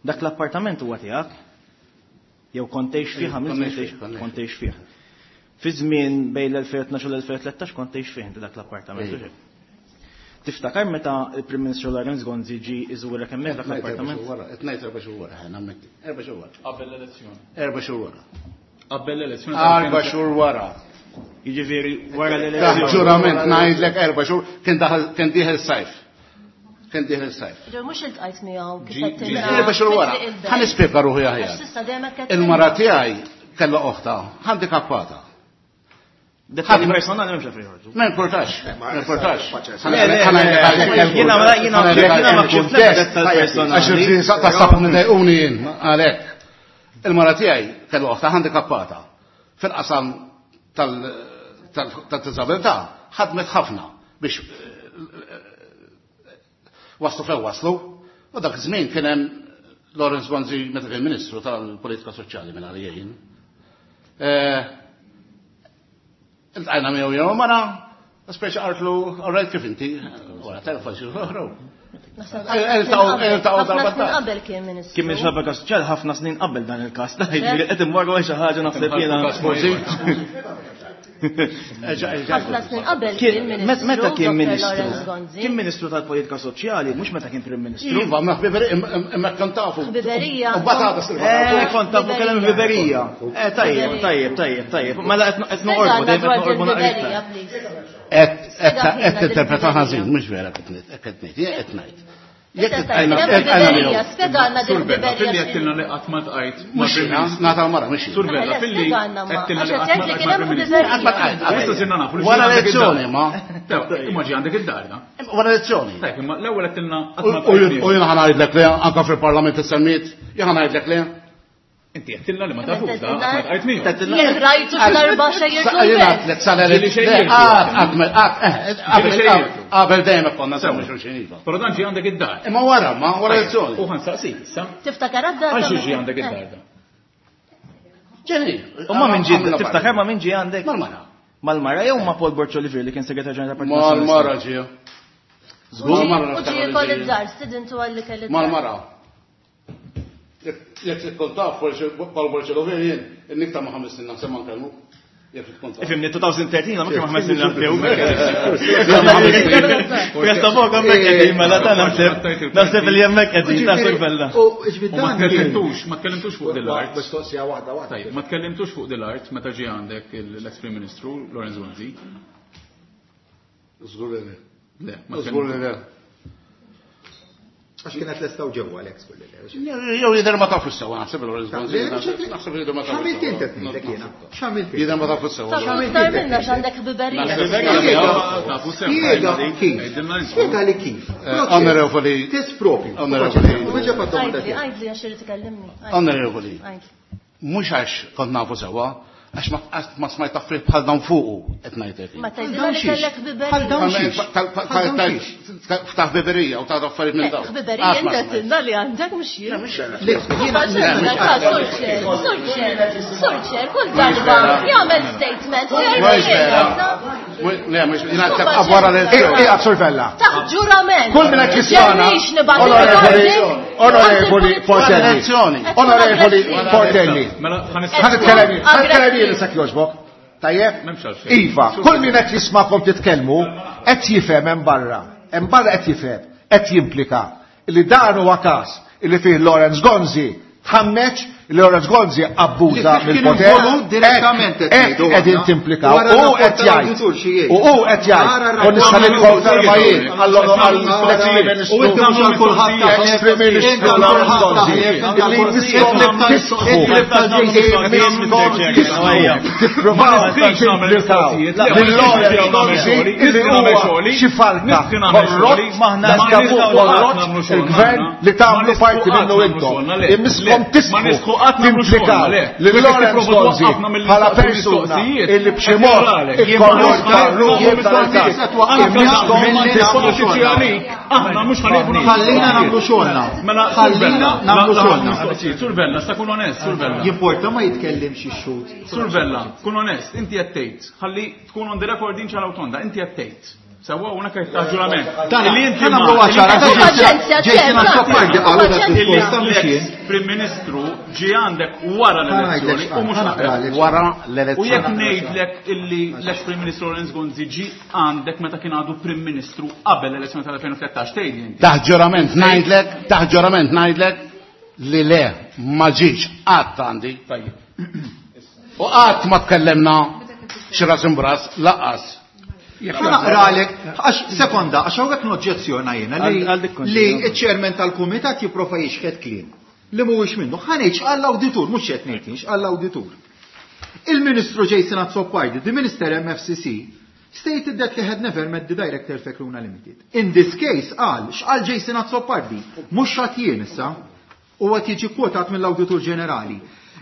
Dak l-appartament huwa tiegħek? Jew kont tgħix fih, għamilt tgħix, kont tgħix fih. Fi żmien bejn l-elfejn u tnax u l-elfejn u tlettax kont tgħix fih inti dak l-appartament. Tiftakar meta il-Prim Ministru Lawrence Gonzi ġi iżurek hemmhekk dak l-appartament? Qed ngħid erba' xhur wara, nammetti. Erba' xhur wara. Qabel l-elezzjoni. Erba' xhur wara. Qabel l-elezzjoni. Erba' xhur wara. Jiġifieri wara l-elezzjoni. Ġurament ngħidlek erba' xhur kien daħal kien dieħel sajf. Kien dieħel sajf. Ġew mhux iltqajt miegħu kif qed Erba' xhur wara. Ħa nispjega ruħi aħjar. Il-mara tiegħi kellha oħta handikappata. Dettalji personali m'hemmx fejn joħorġu. Ma importax, ma importax. Jiena jiena jiena ma kuntest personali. Għax ta' nidejquni jien għalhekk. Il-mara tiegħi kellha oħta handikappata. Fil-qasam tal-disabilità ħadmet ħafna biex waslu fejn waslu. U dak iż-żmien kien hemm Lawrence Gonzi meta kien Ministru tal-Politika Soċjali minn għalija jien. Iltqajna miegħu jew mara, speċi qaltlu, all right kif inti, wara telefon xi oħra. Qabel kien ministru. Kien ministru tal-Politika Soċjali ħafna snin qabel dan il-każ. Jiġifieri qed immorru għal xi ħaġa naħseb jiena. Ħafna snin qabel kien ministru. Meta kien ministru? Kien ministru tal-Politika Soċjali, mhux meta kien Prim Ministru. Iva, ma ħbiberija, imma kont tafu. Ħbiberija. U batata Eh, kont tafu kellem ħbiberija. Eh, tajjeb, tajjeb, tajjeb, tajjeb. Mela qed noqorbu, dejjem qed noqorbu naqra. Qed tinterpreta ħażin, mhux vera qed ngħid, qed ngħid, jien qed ngħid. Jekk ħbiberija, spjegalna din ħbiberija. Filli għedtilna li qatt ma tqajt. Mhux jiena, nagħta l-mara, mhux Sur Bella, filli għedtilna li qatt ma tqajt. Issa sirna nafu. Wara lezzjoni, ma. Imma ġie għandek id-dar, da. Wara lezzjoni. Tajb, imma l-ewwel għedtilna qatt ma tqajt. U jiena ħa ngħidlek li anke fil-Parlament issemmiet, jien ħa ngħidlek li. Inti għedtilna li ma tafux, da, qatt ma tqajt miegħu. Jien rajtu darba xejjertu. Qabel dejjem konna semmu xulxin iva. Però dan ġie għandek id-dar. Imma wara, ma wara lezzjoni. U ħa nsaqsik issa. Tiftakar għad-dar. Għal xi ġie għandek id-dar da? Ġeni. U ma minn ġie, tiftakar ma minn ġie għandek? Mal-mara. Mal-mara jew ma Paul Borg Olivier li kien segretarju ġenerali tal-Partit Mal-mara ġie. Żgur. U ġie jkoll id-dar, stidintu għalli kelli. Mal-mara. Jekk tkun taf Paul Borg Olivier jien, niktar ma' ħames snin naħseb ma nkellmu. Jekk tkun taf. Ifhimni, elfejn u tlettax ma kien ħames snin naħseb. Presta fuq hemmhekk qegħdin mela ta' naħseb. Naħseb li hemmhekk qegħdin ta' Sur Bella. U Ma tkellimtux, ma tkellimtux fuq dil-art. Mistoqsija waħda waħda. Tajjeb, ma tkellimtux fuq dil-art meta ġie għandek l-ex Prim Ministru Lawrence Gonzi. Żgur li le. Le, ma Żgur li le. Għax kienet lestaw ġewwa l-ex kulli. Jew jidher ma tafu sewa, naħseb il-Lawrence Gonzi. Naħseb jidher ma tafu. X'għamilt int qed ngħidlek jiena? X'għamilt int? Jidher ma tafu sewa. Tafu iktar minna x'għandek ħbiberija. Tafu sewa. Spiega kif. Spiega li kif. Onorevoli. Test propju. Onorevoli. Għajdli, għajdli għax irid ikellimni. Onorevoli. Mhux għax kont nafu sewa, għax ma smajt affarijiet bħal dawn fuqu qed ngħidlek. Ma tgħidilha li kellek ħbiberija. Bħal dawn xiex. Ta' ħbiberija u ta' affarijiet minn dawn. Ħbiberija inti għedtilna li għandek mhux jien. Sur Chair, Sur Chair, kull darba jagħmel statement u jgħid Le, mhux jiena wara l-elezzjoni. Ija, Sur Vella. Taħt ġurament. Kull minn qed jismana. Onorevoli, Onorevoli Portelli. Onorevoli Portelli. Ħa nitkellem, ħa nitkellem jien issa jogħġbok. Tajjeb? Iva, kull min qed jismakom titkellmu qed jifhem hemm barra. Hemm barra qed jifhem, qed jimplika li dan huwa każ li fih Lawrence Gonzi tħammeċ li Lawrence Gonzi abbuża mill-poter. Direttament qegħdin timplikaw. U qed jgħid. U hu qed jgħid. U nista' nikkonferma jien għall-ex-Prim Ministru. U inti mhux għal kulħadd Ex-Prim Ministru Lawrence Gonzi. Illi miskom tisħu. Miskom tisħu. Tippruvaw timplikaw lil Lawrence Gonzi illi huwa xi falka korrott, korrott il-gvern li tagħmlu parti minnu intom. Imiskom tisħu timplikaw li Lawrence Gonzi bħala persuna illi b'xi mod ikkorrotta ruħu tal-każ. Imiskom tisħu. Aħna mhux ħanibnu. Ħallina nagħmlu xogħolna. Ħallina nagħmlu xogħolna. Sur Vella, sta kun onest, Sur Vella. Jimporta ma jitkellimx ix-xhud. Sur Vella, kun onest, inti qed tgħid, ħalli tkun on the record din ċara tonda, inti qed tgħid. Sewwa hawnhekk qed taħt ġurament. Dan Li inti ħa nagħmlu ma- ċara, Hu paċenzja, Jason Azzopardi qalu dak Paċenzja. diskors ta' mhux jien. Prim Ministru ġie għandek wara l-elezzjoni u mhux Ħa qabel. naqralek. Wara U jekk l-elezzjoni. ngħidlek illi l-ex Prim Ministru Lawrence Gonzi ġie għandek meta kien għadu Prim Ministru qabel l-elezzjoni tal-elfejn u tlettax tgħidli inti. Taħt ġurament ngħidlek, taħt ġurament ngħidlek li le ma ġiex qatt għandi. Tajjeb. U qatt ma tkellemna xi ras imbras laqas. Ħa naqralek, għax sekonda, għax hawnhekk noġġezzjona jiena li Għal- għal dik konti, li ja. ċ-chairman tal-kumitat jipprova jixħet kliem li mhuwiex minnu. Ħa ngħid x'qal l-awditur, mhux qed ngħid jien, x'qal l-awditur. Il-Ministru Jason Azzopardi, the Minister M F C C, stated that he had never met the director Fekruna Limited. In this case, qal, x'qal Jason Azzopardi, mhux x'għedt jien issa, u qed jiġi kwotat mill-Awditur Ġenerali.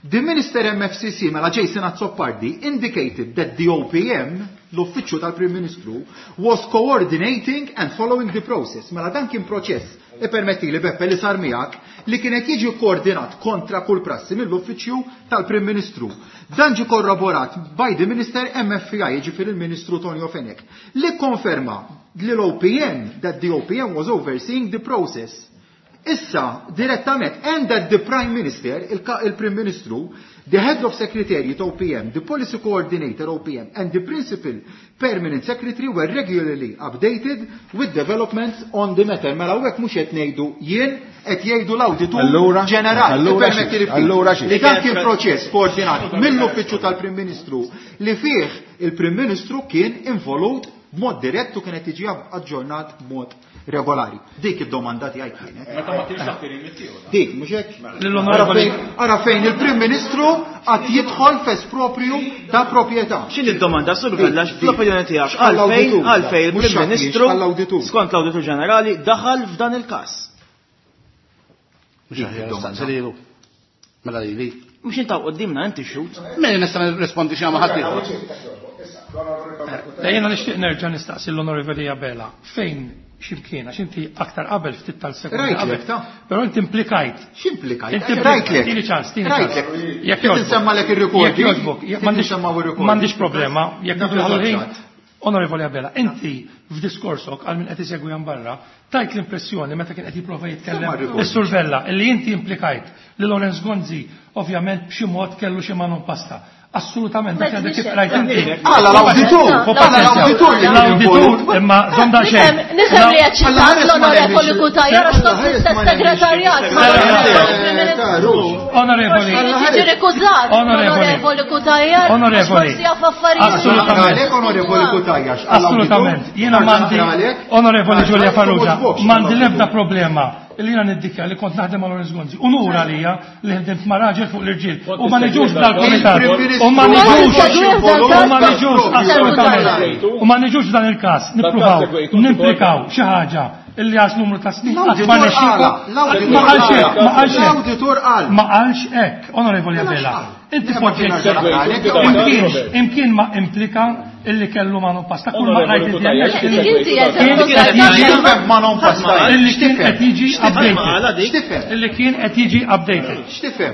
The Minister M F C C, mela Jason Azzopardi, indicated that the O P M, l-Uffiċċju tal-Prim Ministru, was coordinating and following the process. Mela dan kien proċess, e permetti li Beppe li sar miegħek, li kienet jiġi koordinat kontra kull prassi mill-Uffiċċju tal-Prim Ministru. Dan ġi korroborat by the Minister M F I, jiġifieri il-Ministru Tonio Fenech, li konferma li l-O P M, that the O P M was overseeing the process. Issa, direttament, and that the Prime Minister, il-Prim Ministru, the Head of Secretariat O P M, the Policy Coordinator O P M, and the Principal Permanent Secretary were regularly updated with developments on the matter. Mela hawnhekk mhux qed ngħidu jien, qed jgħidu l-Awditur Allura, Ġenerali. allura Permetti li xi, allura xi. Li dan kien proċess koordinat mill-Uffiċċju tal-Prim Ministru li fih il-Prim Ministru kien involut b'mod dirett u kienet jiġi aġġornat b'mod regolari. Dik id-domanda tiegħi kienet. Meta ma kienx taħt ir-remit tiegħu. Dik, mhux hekk? Lill-onorevoli- Ara fejn- Ara fejn il-Prim Ministru qatt jidħol f'esproprju ta' proprjetà. X'inhi d-domanda, Sur Vella, Dik, fl-opinjoni tiegħek, X'qal għalfejn l-awditur? għalfejn Mhux il-Prim x'għad Ministru x'qal l-awditur. skont l-Awditur Ġenerali daħal f'dan il-każ? Mhux aħjar staqsi lilu. Mela lili. Mhux intaw qudiemna inti xhud. Min nista' nirrispondi xi ma ħadd ieħor. Le, jiena nixtieq nerġa' nistaqsi l-Onorevoli Abela fejn x'imkien, għax inti aktar qabel ftit tal-sekonda Rajtlek, qabel. ta' Però inti implikajt. X'implikajt? Inti Rajtlek. Tini ċans, tini ċans. Rajtlek. Jekk Kif jogħġbok. insemmalek ir-recording? Jekk jogħġbok. Kif M'għandix insemmaw ir-recording? m'għandix problema. Jekk Dak nifilħu l-ħin. il-ħaġat. Onorevoli Abela, inti f'diskorsok għal min qed isegwi hemm barra, tajt l-impressjoni meta kien qed jipprova jitkellem Semma r-recording. is-Sur Vella illi inti implikajt li Lawrence Gonzi ovvjament b'xi mod kellu xi manu pasta. Assolutament, dak għandek kif rajt inti. Għala l-awditur, għala l-awditur li kien L-awditur, involut. imma żomm daqsxejn. Nifhem nifhem li qed Alla ħares xitat ma l-Onorevoli nemminx. Cutajar għax Alla kont ħares fl-istess ma nemminx. segretarjat mal-Onorevoli Prim Ministru. Onorevoli, Forsi li tiġi rikużat Onorevoli. l-Onorevoli Cutajar għax Onorevoli. forsi jaf affarijiet. Assolutament. Għalek onorevoli Cutajar, Assolutament. Jiena m'għandi, Onorevoli Julia Farrugia, m'għandi l-ebda problema li jiena niddikja li kont naħdem ma' Lawrence Gonzi. Unur għalija li ħdimt ma' raġel fuq l-irġiel. U ma niġux dal-komitat. U ma niġux. U ma niġux, assolutament. U ma niġux dan il-każ. Nippruvaw, nimplikaw xi ħaġa illi għax numru ta' snin qatt ma L-awditur nexxielkom. qala, l-awditur Ma qalx hekk, ma qala, qalx hekk. l-awditur qal. Ma qalx hekk, Onorevoli Abela. Inti poġġejt imkien, imkien ma implika illi kellu manu pasta. Kull ma rajt inti hemmhekk Dik inti Kien qed jiġi- X'tifhem ma non pasta? Illi kien qed jiġi Ma għala updated. dik. X'tifhem? Illi kien qed jiġi updated. X'tifhem?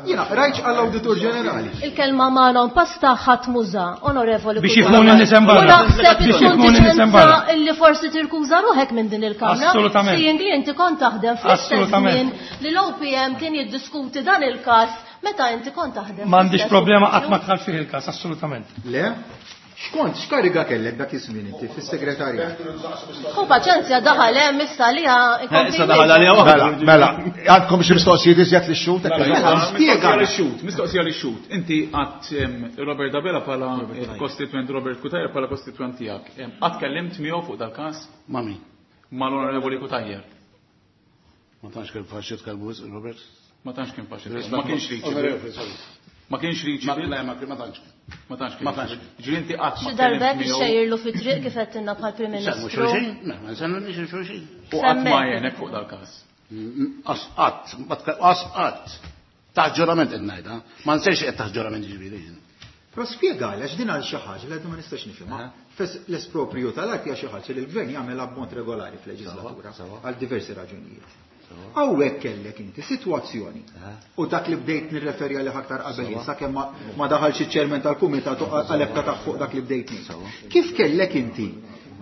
Jiena rajtx għall-Awditur Ġenerali. Il-kelma ma non pasta ħadd muża, Onorevoli Biex Cutajar. jifhmuni n-nies hemm barra. U naħseb Biex tkun jifhmuni n-nies hemm barra. diċenza illi forsi tirkuża ruħek minn din il-kamra. Assolutament. Seeing li inti kont taħdem fl-istess Assolutament. żmien li l-O P M kien jiddiskuti dan il-każ meta inti kont taħdem. M'għandix fl-istess problema qatt ma uffiċċju. dħal fih il-każ, assolutament. Le? Xkont, x'kariga kellek dak iż-żmien inti fis-segretarjat? Hu paċenzja daħal hemm issa li Eh, Issa daħal għalija waħda. Mela, mela, għandkom xi mistoqsijiet iżjed lix-xhud? Mela, spjega. Mistoqsija lix-xhud, mistoqsija lix-xhud. Inti għat em, Robert Abela bħala kostituent, Robert Cutajar bħala kostituent tiegħek. Em, Qatt kellimt miegħu fuq dal-każ Ma min? mal-Onorevoli Cutajar. Ma tantx kien faċli tkellmu wisq, Robert. Ma tantx kien faċli. Ma kienx reachable. Ma kienx Ma reachable. le, ma ma tantx. Ma tantx kien. Ma tantx. Ġifieri inti qatt ma Xi tkellimt darbek miegħu xejjirlu fi triq kif qed tinna bħal Prim Nsemmu Ministru. xulxin? Ma nsemmu xulxin. u qatt ma Semmek. jenek fuq dal-każ. Qas qatt, ma tka- qas qatt. Taħt ġurament qed ngħidha. Ma nsejx qed taħt ġurament ġifieri. Però spjega għax din għal xi ħaġa li għadu ma nistax nifhimha. Fes l-espropriju tal-art hija xi ħaġa li l-gvern jagħmilha b'mod regolari fil-leġislatura għal diversi raġunijiet. Hawnhekk kellek inti sitwazzjoni u dak li bdejt nirreferi għalih aktar qabel jien, sakemm ma- ma daħalx iċ-chairman tal-kumitat u għalhekk ta' fuq dak li bdejt ngħid. Kif kellek inti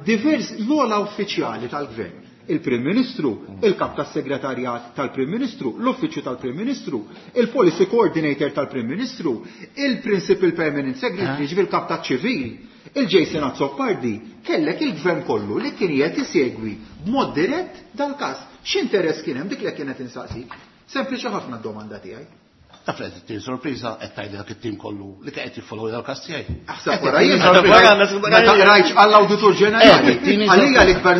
Divers l-ogħla uffiċjali tal-gvern, il-Prim Ministru, il-kap tas-segretarjat tal-Prim Ministru, l-uffiċċju tal-Prim Ministru, il-Policy Coordinator tal-Prim Ministru, il-Principal Permanent Secretary, ġifieri il-kap taċ-ċivil, il-Jason Azzopardi, kellek il-gvern kollu li kien qed isegwi b'mod dirett dal-każ. X'interess kien hemm dik li kienet insaqsik? Sempliċi ħafna d-domanda tiegħi. Taf li qed sorpriża qed tgħid dak it-tim kollu li qed jiffollow dal-każ tiegħi. Aħseb wara jien meta rajtx għall-Awditur Ġenerali. Għalija l-ikbar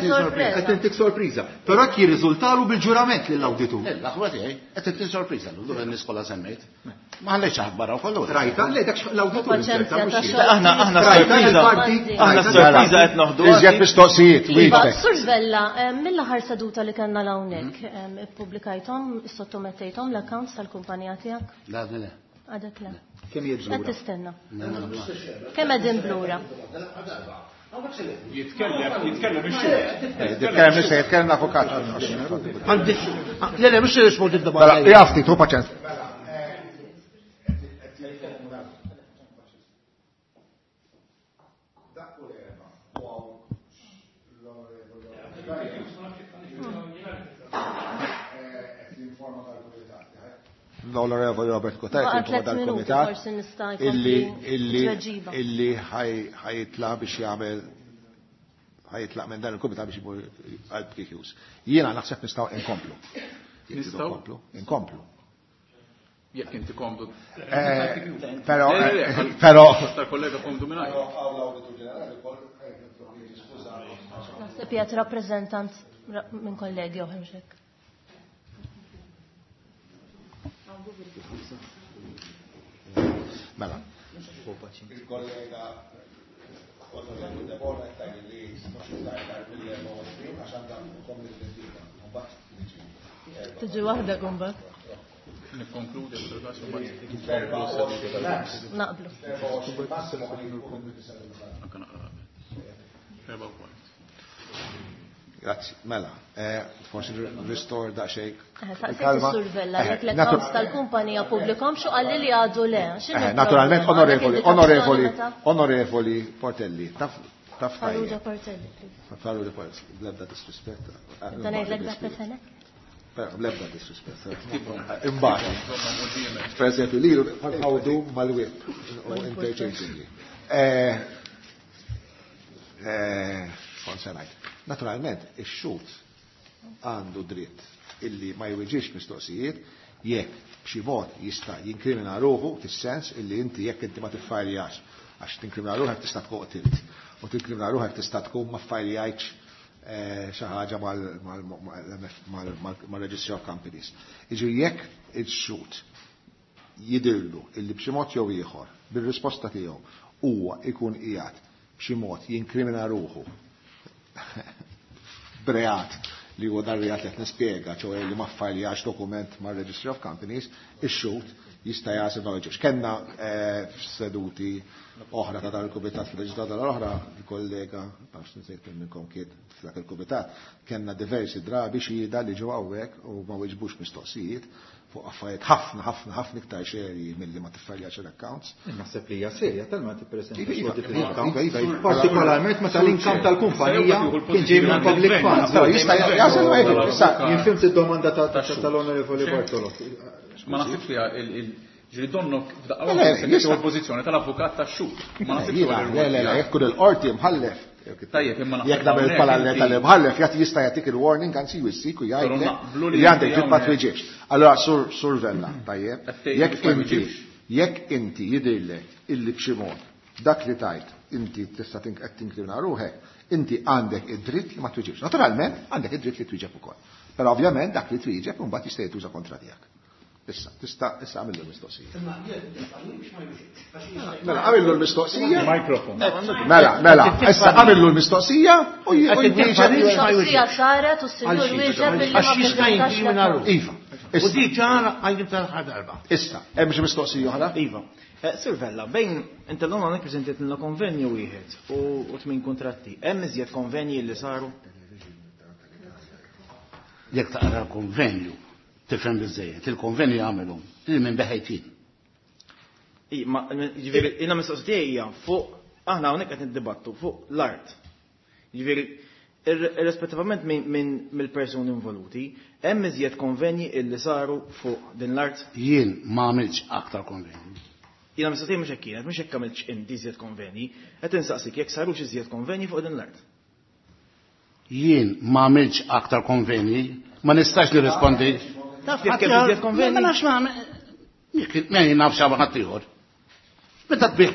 sorpriża. Qed intik sorpriża. Però hekk jirriżultalu bil-ġurament lill-awditur. L-aħwa tiegħi qed intik sorpriża l nies kollha semmejt. Ma ħallejtx aħbar kollu. Rajta, le dak l-awditur. Aħna aħna sorpriża. Aħna sorpriża qed noħdu. Iżjed mistoqsijiet, wieġbek. Sur Vella, mill-aħħar seduta li kellna hawnhekk, ippubblikajthom, sottomettejthom l-accounts tal-kumpanija tiegħek? La, le. Għadek le. Kemm jidhru? Qed tistenna. Kemm qegħdin blura? Jitkellem, jitkellem ix-xhur. Jitkellem issa, jitkellem l-avukat. Le, le, mhux nirrispondi d-domanda. Mela, jafti, tu paċenza. L-Onorevoli Robert Cutajar dal-Kumitat illi illi illi ħajitla biex jagħmel ħajitlaq minn dan il-kumitat biex imur għal P Qs. Jiena naħseb nistgħu inkomplu. Nistgħu inkomplu. Jekk inti komdu. Però però tal-kollega komdu mingħajr. Naħseb qiegħed rappreżentant minn kollegi oħra mhux hekk. Mela, il-kollega Onorevoli Debona qed li mhux iktar mill-erba' u għoxrin għax għandha commitment ieħor. Mbagħad tiġi. Tiġi waħda mbagħad. Nikkonkludi fil-każ mbagħad. Naqblu. Anke naqra. Erba' u kwart. Grazzi, mela, forsi restore daqsxejn. Saqsejt is-Sur Vella jekk l-accounts tal-kumpanija pubblikhom xu qalli li għadu le. Naturalment, onorevoli, onorevoli, onorevoli Portelli, taf taf Farrugia Portelli, please. Farrugia Portelli, bl-ebda disrispett. Dan ngħidlek dak fenek? Bl-ebda disrispett. Imbagħad. Per eżempju, lilu nħawdu mal-whip u interchangeably. Eh, kont se ngħid. Naturalment, ix-xhud għandu dritt illi ma jweġibx mistoqsijiet jekk b'xi mod jista' jinkrimina ruħu fis-sens illi inti jekk inti ma tiffajljax għax tinkrimina ruħek tista' tkun qtilt u tinkrimina ruħek tista' tkun ma ffajljajtx xi ħaġa mal-Registry of Companies. Jiġifieri jekk ix-xhud jidhirlu illi b'xi mod jew ieħor bir-risposta tiegħu huwa ikun qiegħed b'xi mod jinkrimina ruħu b'reat li huwa dar reat li qed nispjega, ċoe li ma ffajljax dokument mar-Registry of Companies, ix-xhud jista' jagħżel ma jweġibx. Kellna f'seduti oħra ta' dan il-kumitat fil-leġislatura l-oħra, il-kollega, nafx nsejt minn minnkom kien f'dak il-kumitat, kellna diversi drabi xhieda li ġew hawnhekk u ma weġbux mistoqsijiet fuq affarijiet ħafna ħafna ħafna iktar serji milli ma tiffajljax l-accounts. Naħseb li hija serja tal-ma tippreżentax l-accounts. Partikolarment meta l-income tal-kumpanija kien ġej minn public funds. Però jista' jasal ma jgħid. Issa jien fimt id-domanda tal-Onorevoli Bartolo. Ma naħsibx li ġiri donnok f'daqqa waħda se tieħu l-pożizzjoni tal-avukat tax-xhud. Ma naħsibx li le le le jekk kull il-qorti mħallef. Tajjeb, imma jekk nagħmel parallel tal-imħallef jagħti jista' jagħtik il-warning anzi jwissik u jgħidlek li għandek dritt ma tweġibx. Allura Sur Sur Vella, tajjeb, jekk inti jekk inti jidhirlek illi b'xi mod dak li tajt inti tista' qed tinkrimina ruħek, inti għandek id-dritt li ma tweġibx. Naturalment għandek id-dritt li twieġeb ukoll. Però ovvjament dak li twieġeb imbagħad jista' jituża kontra tiegħek. Issa, tista' issa għamillu l-mistoqsija. Mela, għamillu l-mistoqsija. Mikrofon. Mela, mela, issa għamillu l-mistoqsija u jwieġeb. Mistoqsija saret u s-sinjur wieġeb billi ma ppreżentax. Iva. U di ċara għajdim tal-aħħar darba. Issa, hemm xi mistoqsija oħra? Iva. Sur Vella, bejn inti l-lum hawnhekk preżentajtilna konvenju wieħed u tmien kuntratti. Hemm iżjed konvenji li saru? Jekk taqra konvenju, tifhem biżejjed, il-konvenju jagħmlu lil minn beħejtin. Ma ġifieri jiena mistoqsija hija fuq Aħna hawnhekk qed niddibattu fuq l-art. Jiġifieri irrispettivament minn mill-persuni involuti, hemm iżjed konvenji illi saru fuq din l-art. Jien ma għamilx aktar konvenji. Jiena mistoqsija mhux hekk kienet, mhux hekk għamiltx inti iżjed konvenji, qed insaqsik jekk sarux iżjed konvenji fuq din l-art. Jien ma għamilx aktar konvenji, ma nistax nirrispondi. Taf jekk hemm iżjed konvenji? Ma nafx ma ma jien naf xi ħadd ieħor. Meta tbih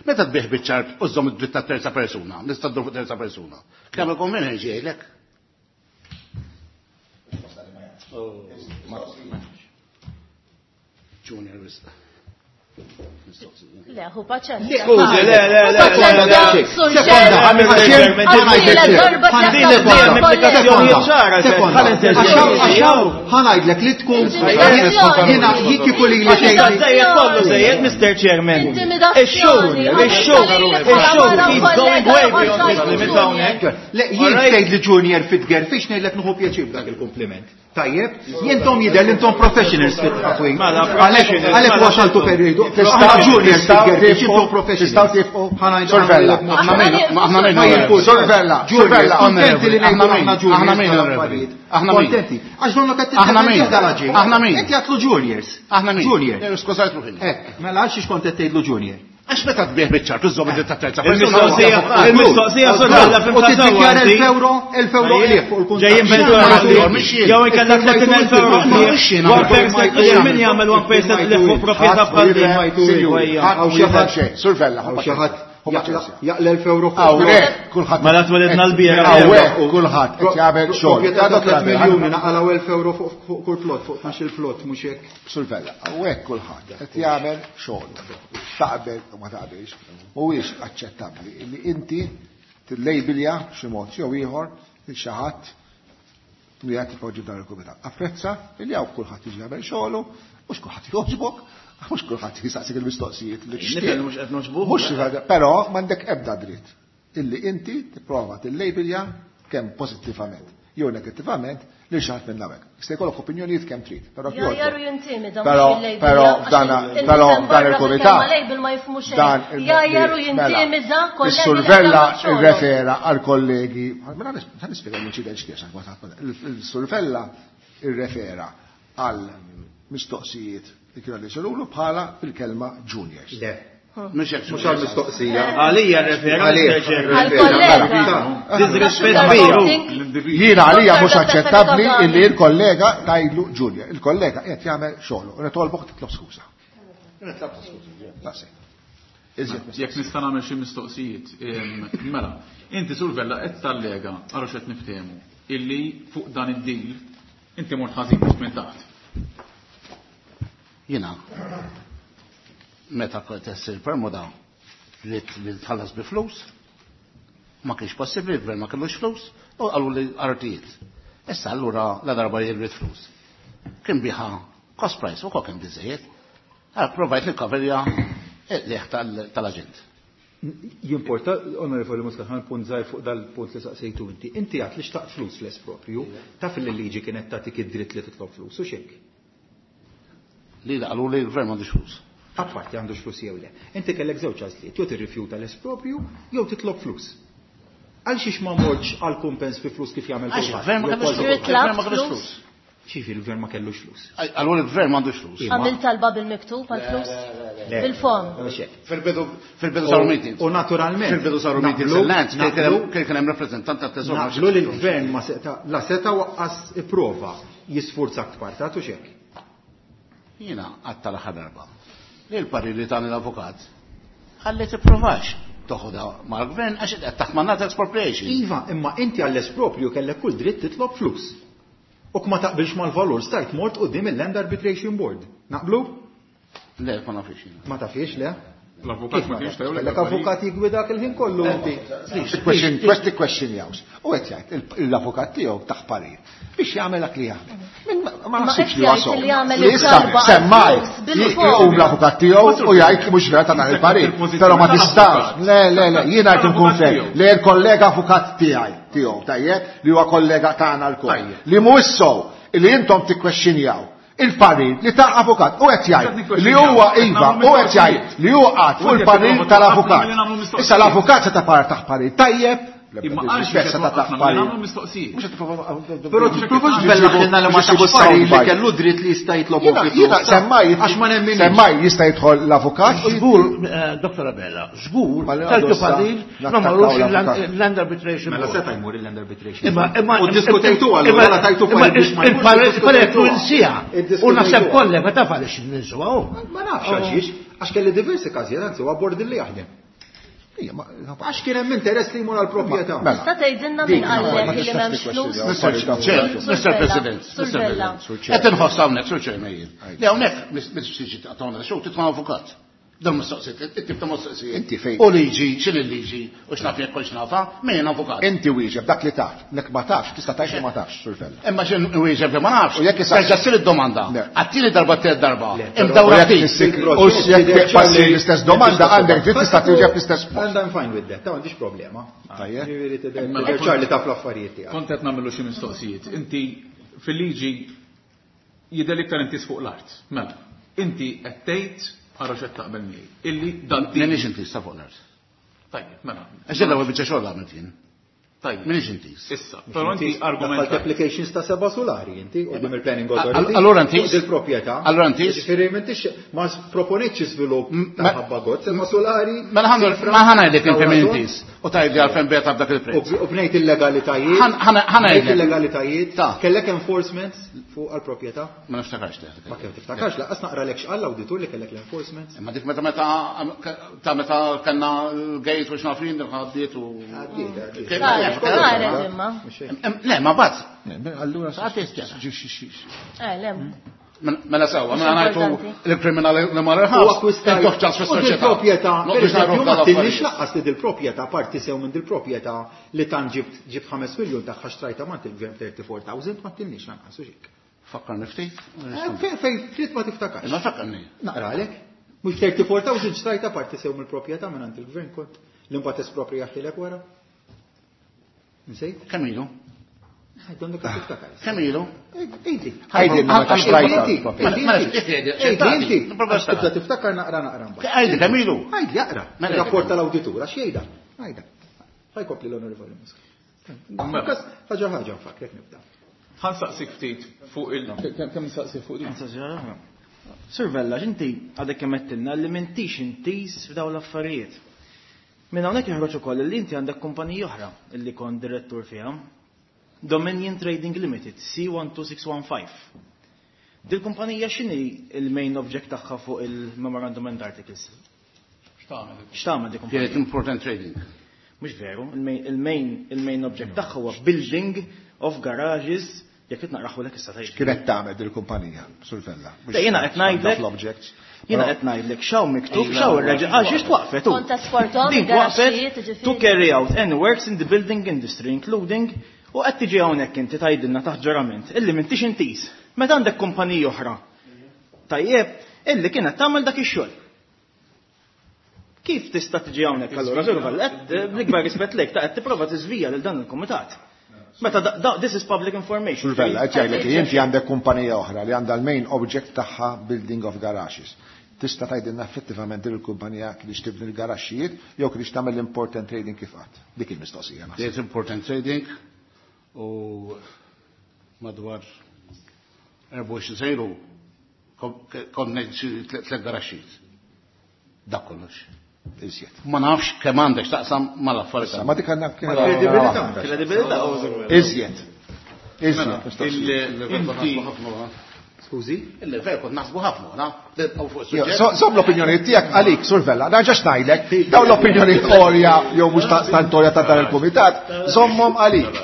meta tbih biċ-ċart u żżomm id-dritt ta' terza persuna, nista' ddur fuq terza persuna. Kemm il-konvenji ġejlek? Junior wisq. Le, hu paċenzja. Skużi, le, le, le, le, le, Sekonda, ħa ngħidlek li tkun jiena kieku li li Żejjed kollu żejjed, Mister Chairman. Ix-show, ix-show, ix-show keeps going way beyond his limits hawnhekk. Le, jien tgħid li Junior fit-gerfix ngħidlek nieħu pjaċir b'dak il-kompliment. Tajjeb, jintom jidher li intom professionals fit-taqwim. Għalhekk wasaltu periodu. Aħna juniors fit-gerfix, intom professionals. Tistgħu tifqu. Sorvella. Aħna min. Sorvella. Sorvella. Kontenti li ngħidu aħna juniors. Aħna min. Aħna min. Kontenti. Għax donna qed Aħna min. dal-aġir. Aħna min. Qed jagħtlu juniors. Aħna min. Junior. Skużajt ruħi. Hekk, mela għal xiex kont qed tgħidlu junior. Għax meta tbih biċ-ċart użżomm id-dritt ta' terza Il-mistoqsija, il-mistoqsija sorvella U tiddikjara elf euro, elf euro qlief fuq il-kuntratt. Ġejjin bil-dura. Jew inkella tletin elf euro qlief. One percent qlief min jagħmel one percent qlief fuq proprjetà bħal din. Hawn xi ħadd Sorvella. Hawn xi ħadd jaqla elf euro fuq. Hawnhekk kulħadd. Mela twelidna l-biera. Hawnhekk kulħadd qed jagħmel xogħol. Proprjetà ta' tliet miljuni naqalgħu elf euro fuq kull plot, fuq tnax il-plot mhux hekk. Sorvella, hawnhekk kulħadd qed jagħmel xogħol. Taqbel u ma taqbilx, mhuwiex aċċettabbli li inti tillejbilja b'xi mod jew ieħor lil xi ħadd li qed tipoġġi f'dan il-kumitat. Apprezza li hawn kulħadd jiġi jagħmel xogħlu, mhux kulħadd jogħġbok, mhux kulħadd jistaqsik il-mistoqsijiet li tixtieq. Nifhem mhux qed noġbuh. Mhux però m'għandek ebda dritt illi inti tipprova tillejbilja kemm pożittivament jew negattivament lil xi ħadd minn hawnhekk. Jista' jkollok opinjonijiet kemm trid, però Jajjar u jintimida Però però dan però dan il-kumitat label ma jifhmux dan xejn. Jajjar u jintimida kollegi. Is-Survella irrefera għal kollegi, mela ħa nispjega l-inċident x'kien Il-Survella irrefera għal mistoqsijiet li kienu li jsirulu bħala bil-kelma juniors. Le. Mhux hekk. Mhux għall-mistoqsija. Għalija rrefera, Mister Chairman. Għal-kollega. Disrispett kbir. Jiena għalija mhux aċċettabbli illi l-kollega tgħidlu junior. Il-kollega qed jagħmel xogħlu. Nitolbok titlob skuża. Nitlob skuża. Daqshekk. Jekk nista' nagħmel xi mistoqsijiet, mela, inti Survella qed tallega ara x'qed niftehmu illi fuq dan id-deal inti mort ħażin minn taħt. Jiena meta kont issir permoda li tħallas bi flus, ma kienx possibbli, il-gvern ma kellux flus, u qalu li artijiet. Issa allura la darba jirrid flus. Kien biħa cost price u kol kien biżejjed. Allora provajt nikkoverja il-liħ tal-aġent. Jimporta, onorevoli Muscat, ħan punt żgħir fuq dal-punt li saqsejtu inti. Inti għat li xtaqt flus l-esproprju, taf li l-liġi kienet tagħtik id-dritt li titlob flus, u xek? Li qalu li l-gvern m'għandux flus. Apparti għandux flus jew le. Inti kellek żewġ għażliet, jew tirrifjuta l-esproprju jew titlob flus. Għal xiex ma mortx għal kumpens fi flus kif jagħmel Għax kulħadd? il-gvern ma Jew kellux kważi flus. kulħadd. Il-gvern ma kellux flus. Xifi l-gvern ma kellux flus. Allura il-gvern m'għandux flus. Għamil talba bil-miktub għal-flus? Le. Bil-fom. Mhux hekk. Fil-bidu fil-bidu saru meetings. U naturalment. Fil-bidu saru meetings naqblu- il-lands, naqblu- kien kien hemm rappreżentant tat-teżor. Naqblu li l-gvern ma seta' la seta' waqqas ipprova jisfurzak tpartat u xek. Jiena għadd tal-aħħar darba. Li l-parir li tani l-avukat ħalli tipprovax toħodha mal-gvern għax qed taħt mandat expropriation. Iva, imma inti għall-esproprju kellek kull dritt titlob flus. U ma taqbilx mal-valur stajt mort quddiem il-Land Arbitration Board. Naqblu? Le, ma nafx jiena. Ma tafiex, le? L-avukat ma kienx tajjeb. Kellek avukat jigwidak il-ħin kollu inti. Question, questi question jaws. U qed jgħid l-avukat tiegħu taħ parir biex jagħmel dak li jagħmel. Min ma naħsibx li qed wasol. jgħid li jagħmel Li issa il-talba semmaj għal flus bil-fom. jqum l-avukat tiegħu u jgħid li mhux vera ta' dan il-parir. Però ma tistax. Le, le, le, jiena qed inkun fer li l-kollega avukat tiegħi tiegħu tajjeb li huwa kollega tagħna lkoll. Li mhuwiex sew li intom tikkwexxinjaw Il-parir li ta' avukat u qed jgħid li huwa iva u qed jgħid li huwa qagħad fuq il-parir tal-avukat. Issa l-avukat se ta' par taħ parir tajjeb, Imma għalx se ta' taħ parir. Mistoqsijiet. Però tipprovax tbellaħ li ma tax parir li kellu dritt li jista' jitlob Jiena semmaj għax ma nemminx. Semmaj jista' jidħol l-avukat. Żgur, Dottor Abela, żgur kellu parir ma marrux il-Land Arbitration. Mela seta' jmur il-Land Arbitration. Imma imma U ddiskutejtu allura tajtu parir biex ma Il-parir insija. U naħseb kollha ma taf għaliex ninsuha. Ma nafx għaliex, għax kelli diversi każijiet, anzi huwa bord li jaħdem. Għax kien hemm interess li jmur għall-proprjetà. Tista' tgħidilna min qallek li m'hemmx flus? Mister President, Mister President. Qed inħoss hawnhekk, Sur Chairman jien. Li hawnhekk mhix tiġi taqtgħuna xogħol titma' avukat. Dan mistoqsijiet, it-tip ta' mistoqsijiet. Inti fejn? U liġi, x'in il-liġi, u x'naf jekk kollx nafa, min avukat. Inti wieġeb dak li taf, nek ma tafx, tista' tgħid li ma tafx, Sur Vella. Imma x'in wieġeb li ma nafx. U jekk issa terġa' ssir id-domanda. Għattini darba tliet darba. Imdawra ftit. U jekk passi l-istess domanda għandek dritt tista' twieġeb l-istess mod. And I'm fine with that, ta' m'għandix problema. Tajjeb. Ġifieri tidher ċar li taf l-affarijiet tiegħek. Kont qed nagħmlu xi mistoqsijiet. Inti fil-liġi jidher iktar inti fuq l-art. Mela, inti qed tgħid Għarra xed taqbel miegħi. Illi dan Minix inti sta fuq l-art. Tajjeb, mela. Għax l-ewwel biċċa xogħol għamilt jien. Tajjeb. Minix inti. Issa, però inti argument. Applications ta' seba' solari inti qudiem il-planning authority. Allura inti. Il-proprjetà. Allura inti. Ġifieri m'intix ma proponetx żvilupp ta' ħabba god, seba' solari. Mela ma ħanajdlek inti min intis. U tgħidli għalfejn beta b'dak il-prezz. U bnejt il-legalitajiet. Ħanajdlek il-legalitajiet. Kellek enforcements fuq għall-proprjetà? Ma niftakarx teħ. Ma kemm tiftakarx, laqas naqralek x'qal l-awditur li kellek l-enforcements. Imma dik meta meta ta' meta kellna l-gate u x'nafin għaddiet u. Għaddiet. Saret imma. Le, ma bat. Allura Eh, le. Mela sewwa, mela ngħidu l-kriminali li mar il-ħabs. Intuħ ċans fis-soċjetà. Dil-proprjetà, pereżempju, ma tilniex laqqas li dil-proprjetà parti sew minn dil-proprjetà li tan ġibt ġibt ħames miljun tagħha xtrajta mant il-gvern thirty-four thousand ma tilniex lanqas u xejn. Fakkarni ftit. Fejn fejn trid ma tiftakarx. Ma fakkarni. Naqralek. Mhux thirty-four thousand xtrajta parti sew mill-proprjetà minn għand il-gvern kont l-imbagħad esproprjaħtilek wara. Nsejt? Kemm ilu? Għandek tiftakar. Kemm ilu? Ejdi. Ejdi, ma xtrajta. Ejdi, għax tibda tiftakar naqra naqra mbagħad. Ejdi, kemm ilu? Ejdi, aqra. Rapport tal-awditur, għax jgħidha. Għajda. Ħajkopli l-onorevoli Muscat. Ħaġa ħaġa nfakrek nibda. Ħansaqsik ftit fuq il kemm nsaqsik fuq din. Sur Vella, inti għadek kemm għedtilna li m'intix intiż f'dawn l-affarijiet. Minn hawnhekk joħroġ ukoll li inti għandek kumpanija oħra illi kont direttur fiha. Dominion Trading Limited, C one two six one five. Dil kumpanija x'inhi il-main object tagħha fuq il-Memorandum and Articles? X'tagħmel? X'tagħmel di kumpanija? Kienet important trading. Mhux veru, il-main il-main object tagħha huwa building of garages, jekk qed naqraħulek issa tgħid. X'kienet tagħmel dil kumpanija, Sur Vella? Jiena qed ngħidlek. L-objects. Jiena qed ngħidlek x'hawn miktub, x'hawn ir-reġi, għax xiex twaqfet hu. Kont esportom Din twaqfet il-garaxxijiet, to carry out any works in the building industry, including u qed tiġi hawnhekk inti tgħidilna taħt ġurament illi m'intix intiż. Meta għandek kumpanija oħra. Tajjeb, illi kienet tagħmel dak ix-xogħol. Kif tista' tiġi hawnhekk allura, Sur Vella, qed bl-ikbar rispett lejk ta' qed tipprova tiżvija lil dan il-kumitat. Meta da, da, this is public information. Sur Vella, qed jgħidlek li inti għandek kumpanija oħra li għandha l-main object tagħha building of garages. Tista' tgħidilna effettivament din il-kumpanija kienx tibni l-garaxxijiet jew kienx tagħmel l-important trading kif qatt. Dik il-mistoqsija naħseb. There's important trading u madwar erbgħa u għoxrin sejru konna xi tliet garaxxijiet. Dak kollox. Iżjed. Ma nafx kemm għandek x'taqsam mal-affarijiet. Ma dik għandna Ma kredibilità. Kredibilità. Iżjed. Iżjed. Inti Skużi? Il-level kont naħsbu ħafna, na? Nibqgħu fuq is-suġġett. Żomm l-opinjoni tiegħek għalik, Sur Vella, nerġax ngħidlek, dawn l-opinjoni orja jew mhux tantorja ta' dan il-kumitat, żommhom għalik.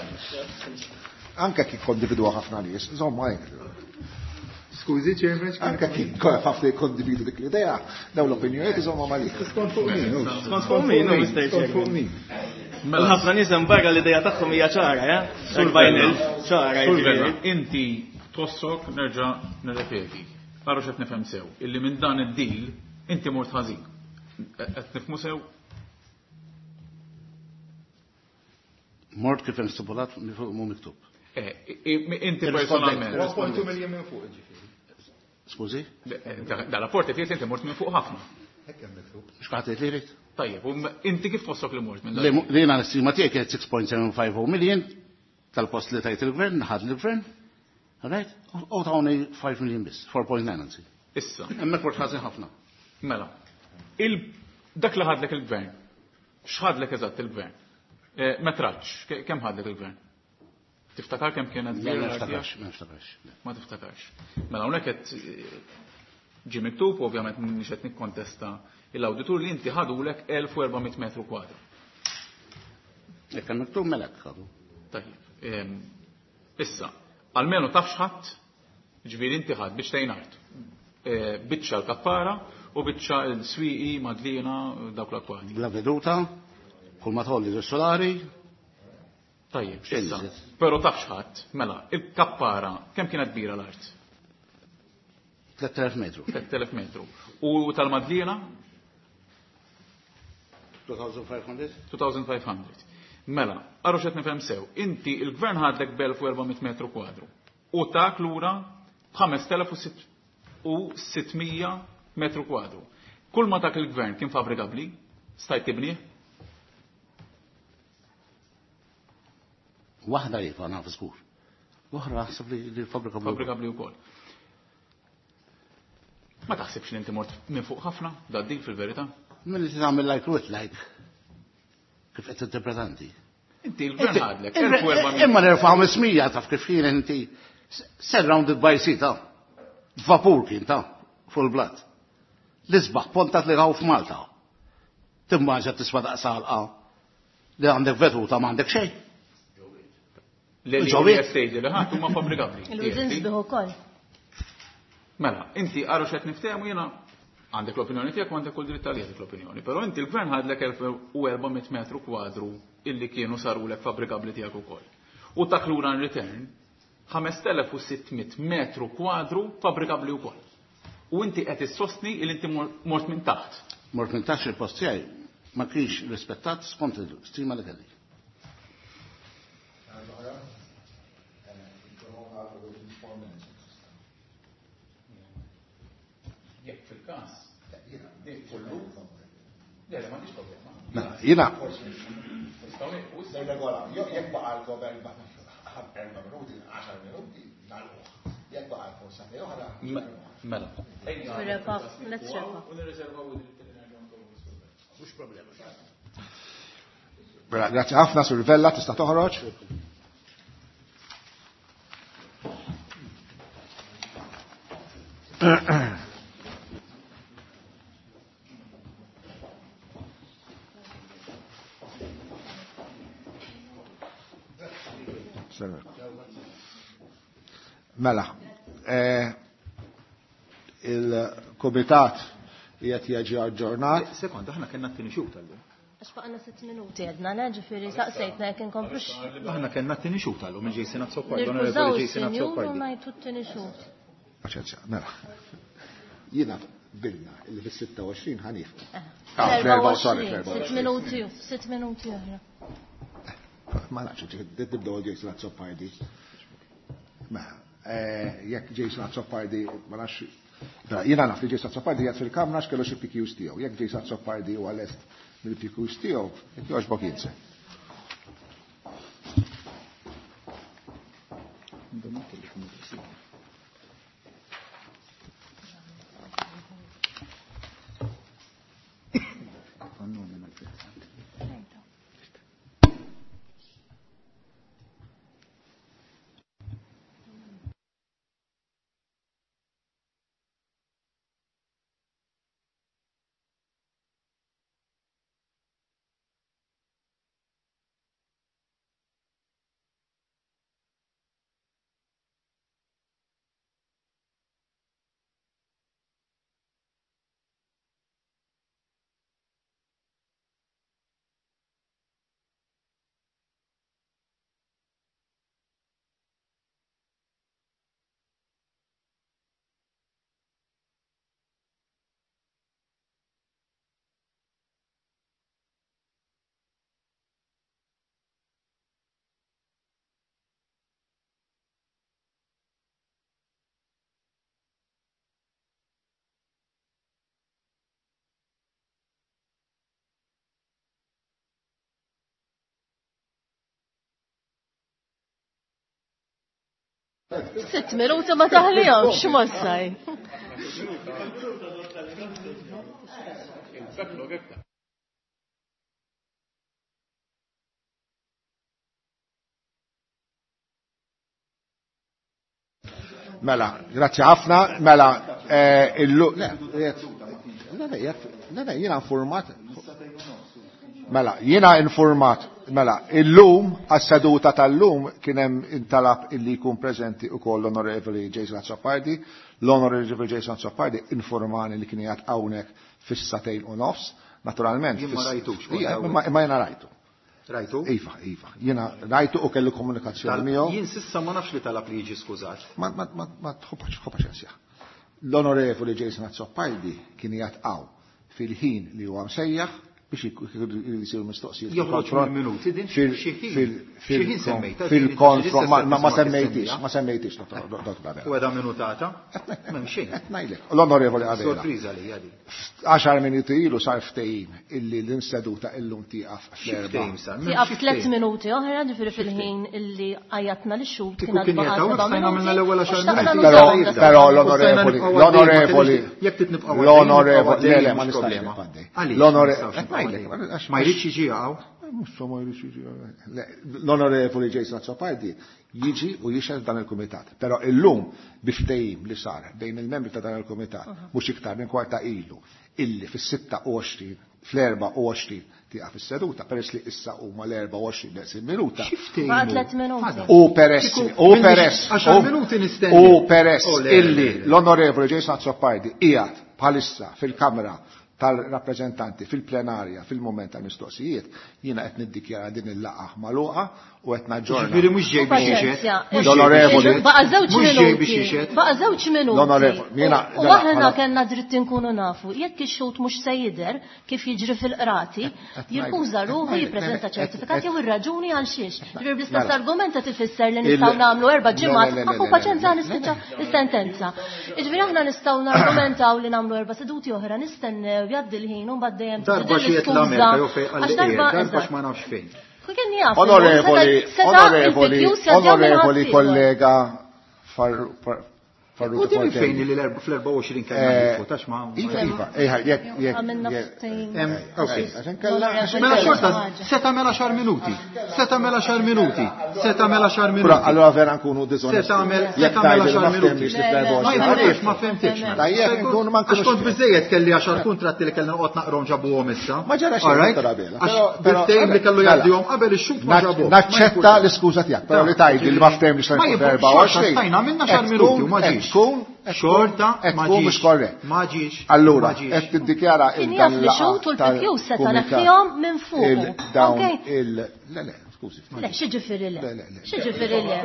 Anke kif kondividwa ħafna nies, żomm għalik. Skużi, Chairman, anke kif ħafna jikkondividu dik l-idea, dawn l-opinjonijiet iżommhom għalik. Skont fuq min, skont fuq min, skont fuq min. Mela ħafna nies hemm barra l-idea tagħhom hija ċara, eh? Sur Vella, ċara. Sur Vella, inti tossok nerġa' nirrepeti. Ara x'qed nifhem sew, illi minn dan id-deal inti mort ħażin. Qed nifhmu sew? Mort kif hemm stipulat mhu miktub. Eh, inti personalment. one point two million minn fuq, ġifieri. Skużi? Da rapport qed jgħid li inti mort minn fuq ħafna. X'qed li jrid? Tajjeb, u inti kif tħossok li mort minn dak? Li jiena l-istima tiegħi kienet six point seven five oh million tal-post li tajt il-gvern, ħad il-gvern. Right? U tawni five million biss, four point nine anzi. Issa. Hemmhekk mort ħażin ħafna. Mela. Dak li ħadlek il-gvern, x'ħadlek eżatt il-gvern? Metraġġ, kemm ħadlek il-gvern? Tiftakar kemm kienet Ma niftakarx, ma niftakarx. Ma tiftakarx. Mela hawnhekk qed ġie miktub, ovvjament m'iniex qed nikkontesta l-awditur li inti ħadulek elf u erba' mitt metru kwadru. Jekk hemm miktub mela hekk ħadu. Tajjeb. Issa, almenu taf x'ħadd, ġifieri inti ħadd biex tgħin art. Biċċa l-kappara u biċċa l-swieqi, Madlina, dawk l-akkwati. Bla veduta, kull ma tħolli solari. Tajjeb, issa. Però taf x'ħadd, mela, il-kappara, kemm kienet kbira l-art? tliet elef metru. tliet elef metru. U tal-Madlina? two thousand five hundred. two thousand five hundred. Mela, għarru xed nifhem sew, inti il-gvern ħadlek b'elf u erba' mitt metru kwadru u tak lura b'ħames telef u sitt mija metru kwadru. Kull ma dak il-gvern kien fabrikabli, stajt tibnih? Waħda iva, naf żgur. L-oħra naħseb li li fabrikabli. Fabrikabli wkoll. Ma taħsibx li inti mort minn fuq ħafna, da dik fil-verità? Min li tagħmel like with like. Kif qed tinterpretanti? Inti l-gvern ħadlek, elf u erba' mija. Imma l-erfa' ħamesmija taf kif kien inti surrounded by sea ta' vapur kien ta' fuq il-blat. L-isbaħ pontat li għaw f'Malta. Timmaġa tiswa daqs għalqa li għandek veduta ma għandek xejn. Li li Ġowi. qed tgħidli li ħadd huma fabbrikabbli. Il-wizin sbieħ ukoll. Mela, inti għaru x'qed niftehmu jiena għandek l-opinjoni tiegħek u għandek kull dritt għalih dik l-opinjoni, però inti l-gvern ħadlek elf u erba' mitt metru kwadru illi kienu sarulek fabbrikabbli tiegħek ukoll. U tak lura in return ħames telef u sitt mitt metru kwadru fabbrikabbli wkoll. U inti qed issostni li inti mort minn taħt. Mort minn taħt il-post tiegħi ma kienx rispettat skont il-stima li kelli. Jekk fil-każ, kollu. Le, le, m'għandix problema. Mela, jiena. Nistgħu nieqfu issa. Regola, jekk baqa' l-govern erba' minuti, għaxar minuti, nagħlquh. Jekk baqa' l-forza oħra. Mela. Wrap up, let's wrap up. U nirriservaw id-dritt li nerġgħu nkomplu s-survey. Mhux problema. Mela, grazzi ħafna, Sur Vella, tista' toħroġ. Mela, eh, il-komitat qiegħed jiġi aġġornat. Sekond, aħna kellna t-tieni xhur tal-lum. Għax baqgħna sitt minuti għedna, le, ġifieri saqsejtna jekk inkomplux. Aħna kellna t-tieni xhur tal-lum minn Jason Azzopardi, Nirkużaw onorevoli Jason is-sinjur u Azzopardi. ngħidu t-tieni xhur. Paċenzja, mela. Jiena bilna illi fis-sitta u għoxrin ħanifu. Eh. Ah, fl-erba' u sorry, fl-erba' u Sitt minuti, sitt minuti oħra. Ma nafx, tibdew Jason Azzopardi. Mela, eh, jekk Jason Azzopardi, ma nafx, mela, jiena naf li Jason Azzopardi qiegħed fil-kamra x'kellu xi P Qs tiegħu. Jekk Jason Azzopardi huwa lest mill-P Qs tiegħu, jekk jogħġbok jinse. Sitt minuti ma taħlihomx x'mossaj. Mela, grazzi ħafna, mela, illu, le, le, le, jiena informat, mela, jiena informat, mela, illum, għas-seduta tal-lum, kien hemm intalab illi jkun preżenti ukoll l-Onorevoli Jason Azzopardi, l-Onorevoli Jason Azzopardi informani li kien qiegħed hawnhekk fis-satejn u nofs, naturalment. Jien ma rajtux. Ma jiena rajtu. Rajtu? Iva, iva. Jiena rajtu u kellu komunikazzjoni miegħu. Jien sissa ma nafx li talab li jiġi skużat. Ma ma ma ma tħobbax paċenzja. L-Onorevoli Jason Azzopardi kien qiegħed hawn fil-ħin li huwa msejjaħ biex jisiru mistoqsijiet. Joħroġ mill-minuti din xi ħin semmejta. Fil-konfront ma semmejtix, ma semmejtix Dottor Abela. U għedha minutata? M'hemm xejn. Qed ngħidlek. L-Onorevoli Abela. Sorpriża li għadi. Għaxar minuti ilu sar ftehim illi l-inseduta illum tieqaf fl-erba'. Tieqaf tliet minuti oħra, ġifieri fil-ħin illi għajjatna lix-xhud kien għad baqa' seba' minuti. Però l-Onorevoli, l-Onorevoli, l-Onorevoli, le le ma nistax nibqa' L-Onorevoli Ma jridx jiġi hawn. Mhux ma jridx jiġi L-Onorevoli Jason Azzopardi jiġi u jixhed dan il-kumitat. Però illum bi ftehim li sar bejn il-membri ta' dan il-kumitat mhux iktar minn kwarta ilu illi fis-sitta u għoxrin, fl-erba' u għoxrin tieqaf is-seduta, peress li issa huma l-erba' u għoxrin neqsin minuta. U peress, u peress, u peress illi l-Onorevoli Jason Azzopardi qiegħed bħalissa fil-Kamra tal-rappreżentanti fil-plenarja fil-moment tal-mistoqsijiet, jiena qed niddikjara din il-laqgħa magħluqa u qed naġġorna. Ġifieri mhux ġej biex jixhed. L-Onorevoli. Baqa' żewġ minuti. Baqa' żewġ minuti. L-Onorevoli. U aħna kellna dritt inkunu nafu jekk ix-xhud mhux se jidher kif jiġri fil-qrati, jirkuża ruħu jippreżenta ċertifikat jew ir-raġuni għal xiex. Ġifieri bl-istess argument qed ifisser li nistgħu nagħmlu erba' ġimgħat ħafu paċenza nispiċċa is-sentenza. Jiġifieri aħna nistgħu nargumentaw li nagħmlu erba' seduti oħra nistennew jgħaddi l-ħin u mbagħad dejjem darba xi qed l-Amerika jew fejn qal darba ma nafx fejn. Onorevoli, onorevoli, onorevoli kollega Farrugia. U din fejn li fl-erbgħa u għoxrin kellna nifutax ma. Iva, iva, jekk jekk. Mela xorta, se tagħmel għaxar minuti. Se tagħmel għaxar minuti. Se tagħmel għaxar minuti. Allora vera nkunu diżonesti. Se tagħmel se tagħmel għaxar minuti. Ma jkunx ma fehmtix. Tajjeb nkunu ma nkunux. Għax kont biżejjed kelli għaxar kuntratti li kellna noqgħod naqrom ġabuhom issa. Ma ġara xejn Dottor Abela. Bil-ftehim li kellu jgħaddihom qabel ix-xhud ma ġabuhom. Naċċetta l-iskuża tiegħek, però li tgħidli li ma ftehimniex fl-erbgħa u għoxrin. Stajna għamilna għaxar minuti u ma ġiex. Xorta ma ġiex. Ma ġiex. Allura, qed tiddikjara il dan li xhud u l-P Q seta' neħħihom minn fuq. Dawn il le le, skużi. Le, xi ġifieri le. Xi ġifieri le.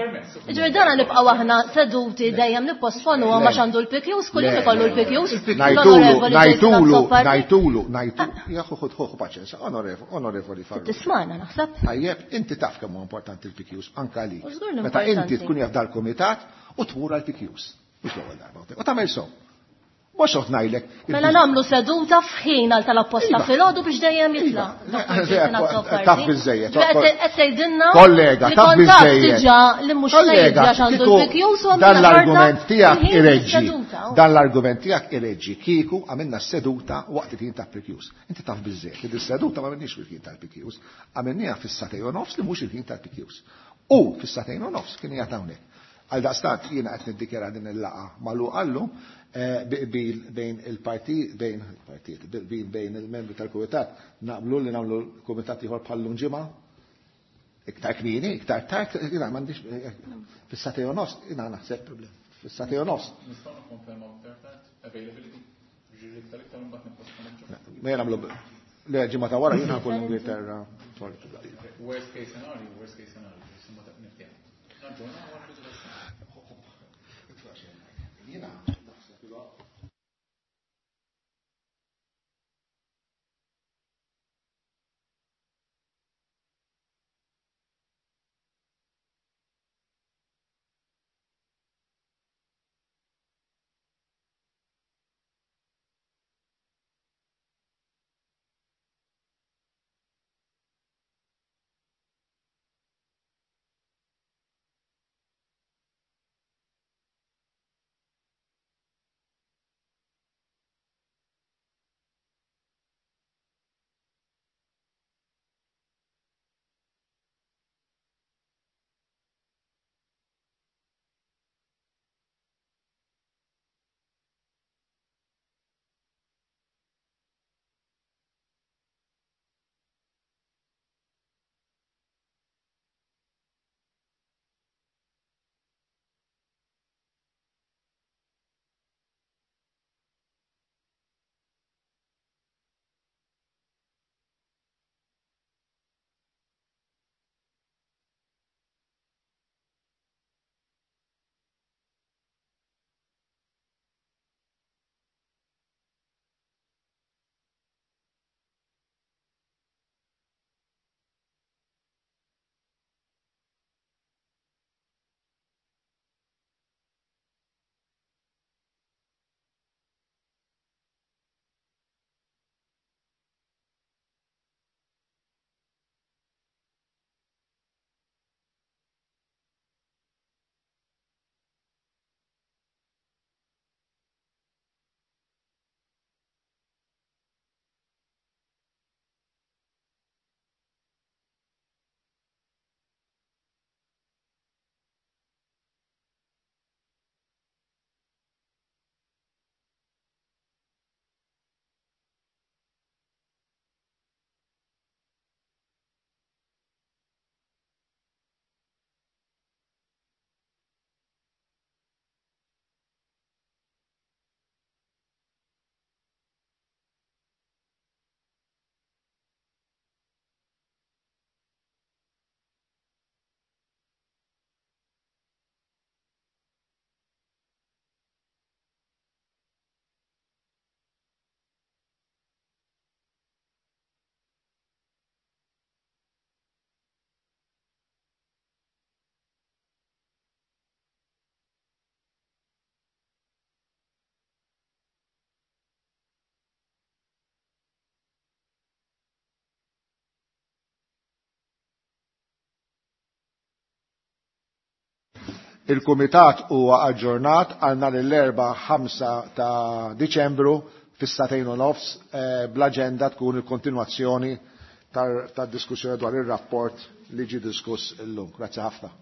Ġifieri dana nibqgħu aħna seduti dejjem nipposponuhom għax għandu l-P Qs, kull jum ikollu l-P Qs. Ngħidulu, ngħidulu, ngħidulu, ngħidulu. Ja ħu ħu paċenza, onorevoli, onorevoli Farrugia. Tismana naħseb. Tajjeb, inti taf kemm huwa importanti l-P Qs anke għalik. Meta inti tkun jaf dal-kumitat u tmur għall-P Qs. Mhux l-ewwel darba. U tagħmel sew. Mhux qed ngħidlek. Mela nagħmlu seduta f'ħin għal tal-apposta filgħodu biex dejjem jitla'. Taf biżejjed. Qed tgħidilna Kollega, taf biżejjed. Diġà li mhux se jiġi għax għandu l-P Qs u Dan l-argument tiegħek ireġġi. Dan l-argument tiegħek ireġġi kieku għamilna seduta waqt il-ħin ta' P Qs. Inti taf biżejjed li dis-seduta ma għamilniex fil-ħin tal-P Qs, għamilniha fis-satej u nofs li mhux il-ħin tal-P Qs. U fis-satejn u nofs kien qiegħed hawnhekk. Għal daqstant jiena qed niddikjara din il-laqgħa magħluqa llum qbil bejn il-partit, bejn il-partit, qbil bejn il-membri tal-kumitat, naqblu li nagħmlu kumitat ieħor bħallum ġimgħa, iktar kmieni, iktar tard, jiena m'għandix fis-satej u nofs, jiena naħseb problem. Fis-satej u nofs. Nistgħu nikkonfermaw iktar tard, availability, ġieli iktar iktar imbagħad nipposponu. Ma jien nagħmlu le ġimgħa ta' wara jiena nkun l-Ingilterra. Worst case scenario, worst case scenario, niftehmu. Naġġornaw wara. Jiena Il-Kumitat huwa aġġornat għal nhar l-erba' ħamsa ta' Diċembru fis-sagħtejn u nofs eh, bl-aġenda tkun il-kontinwazzjoni tad-diskussjoni dwar ir-rapport li ġie diskuss illum. Grazzi ħafna.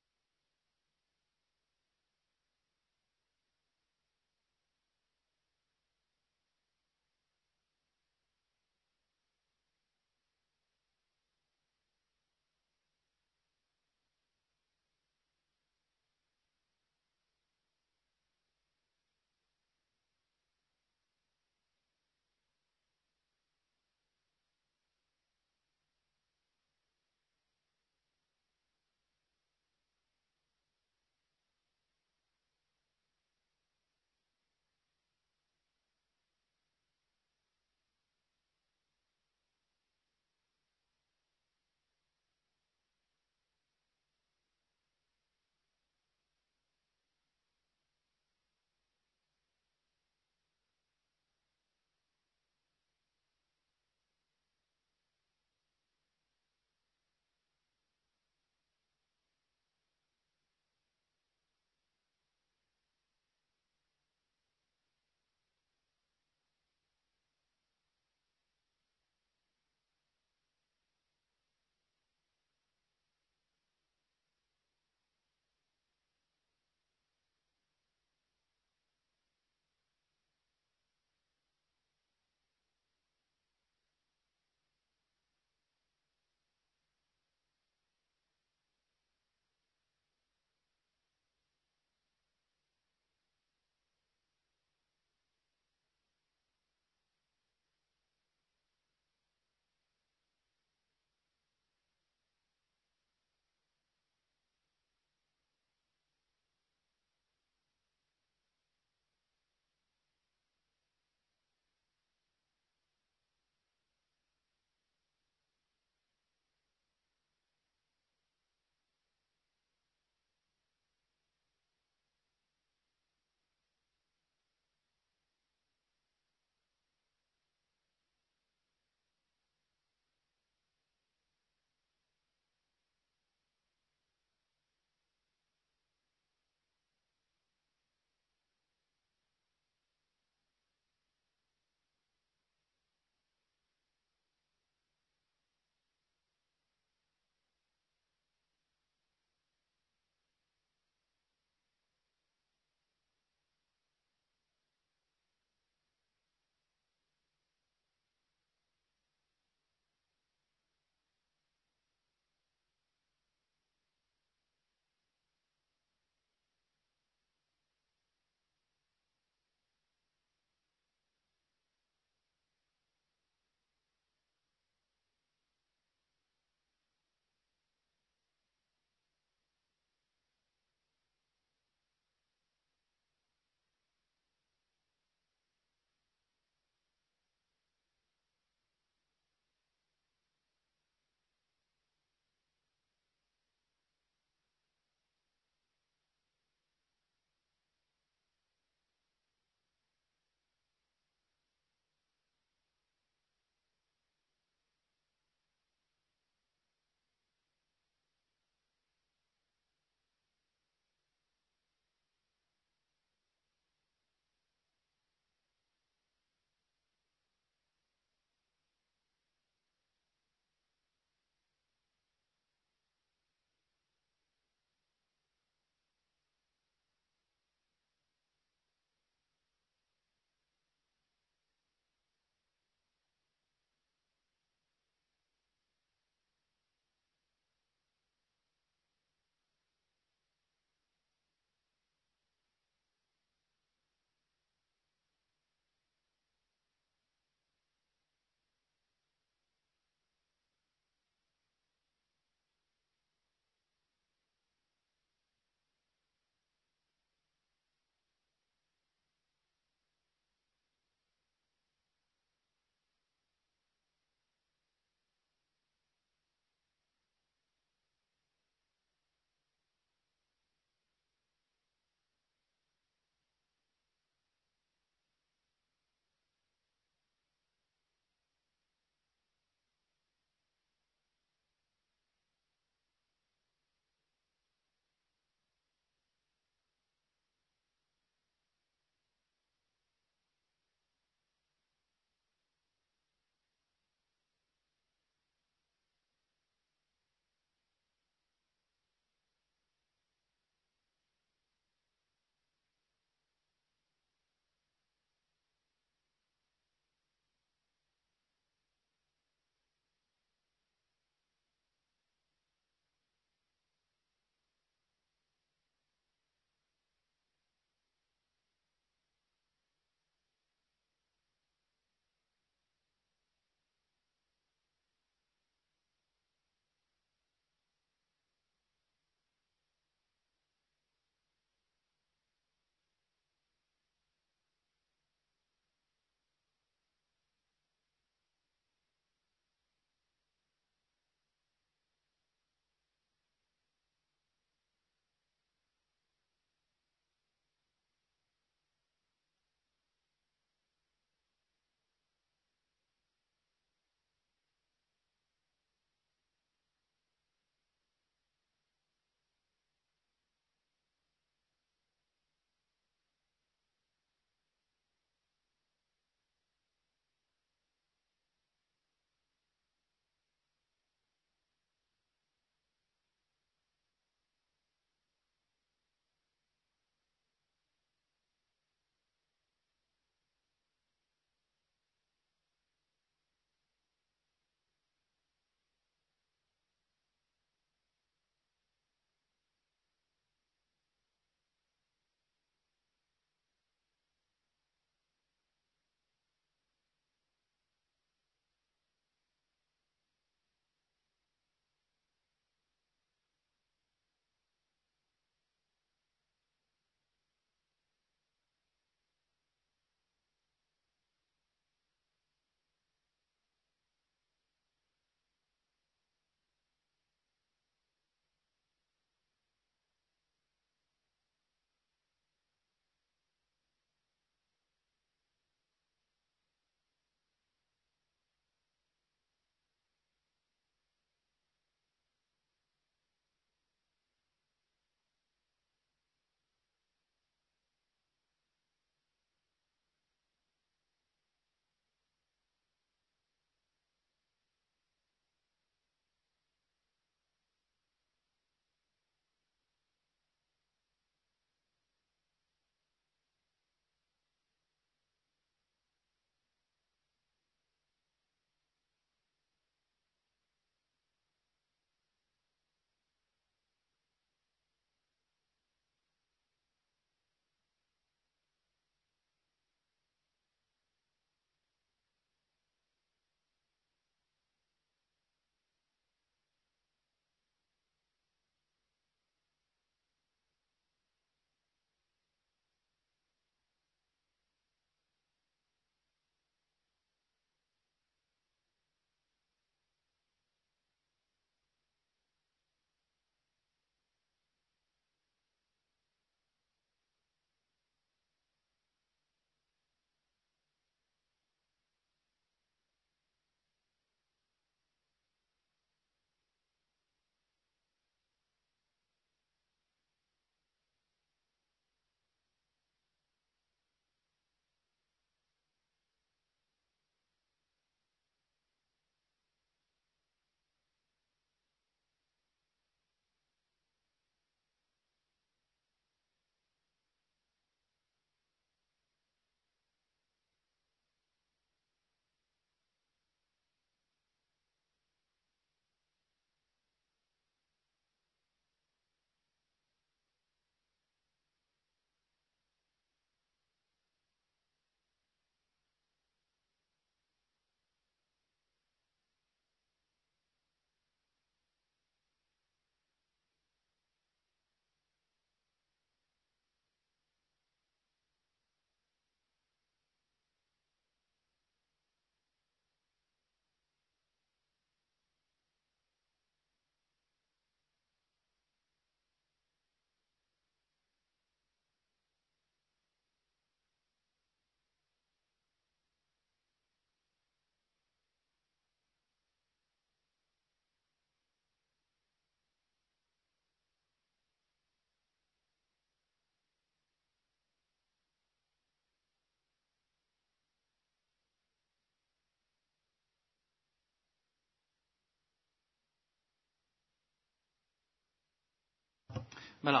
Mela,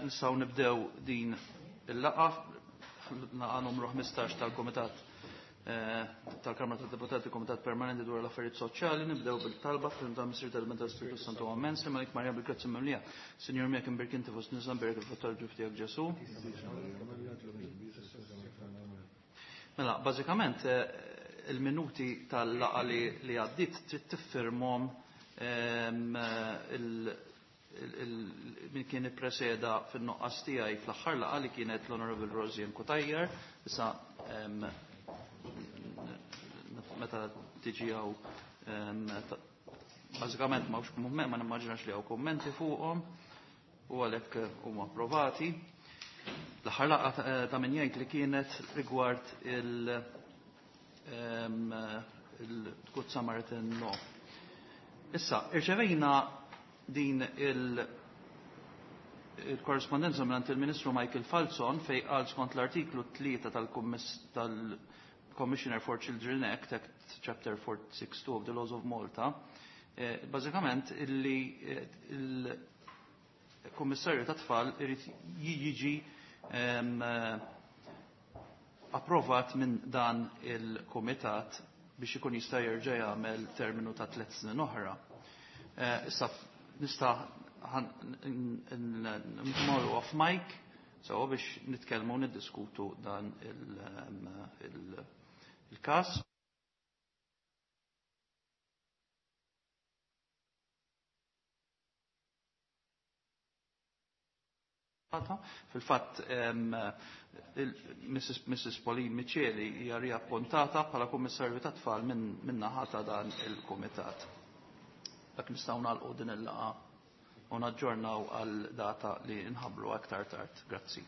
nistgħu nibdew din il-laqgħa, laqgħa numru ħmistax tal-Kumitat tal-Kamra tad-Deputati, Kumitat Permanenti dwar l-Affarijiet Soċjali. Nibdew bil-talba fil ta' Missir tal-Menta Spiritu Santu. Amen. Sema Marja bil-grazzi mimlija. Sinjur miegħek, imbierka inti fost nisa, mbierek il-frott tal-ġuf tiegħek Ġesu. Mela, bażikament il-minuti tal-laqgħa li għaddiet trid tiffirmhom min kien ippreseda fin-nuqqas tiegħi fl-aħħar laqgħa li kienet l-Honorable Rosianne Cutajar. Issa meta tiġi hawn bażikament ma ma nimmaġinax li hawn kummenti fuqhom u għalhekk huma approvati. L-aħħar laqgħa ta' min jgħid li kienet rigward il- il-Good Samaritan Law. Issa, irċevejna din il-korrespondenza minn il-Ministru Michael Falzon fej qal skont l-artiklu tlieta tal-Commissioner for Children Act, Act Chapter four six two of the Laws of Malta, bażikament illi il-Kummissarju tat-Tfal irid jiġi approvat minn dan il-Kumitat biex ikun jista' jerġa' jagħmel terminu ta' tliet snin oħra. Issa nista' nmorru off mic so biex nitkellmu u niddiskutu dan il-każ. Fil-fatt Missus Pauline Miceli hija riappuntata bħala Kummissarju tat-Tfal minn naħa ta' dan il-Kumitat. Dak nistgħu nagħlqu din il-laqgħa u naġġornaw għal data li nħabbru aktar tard. Grazzi.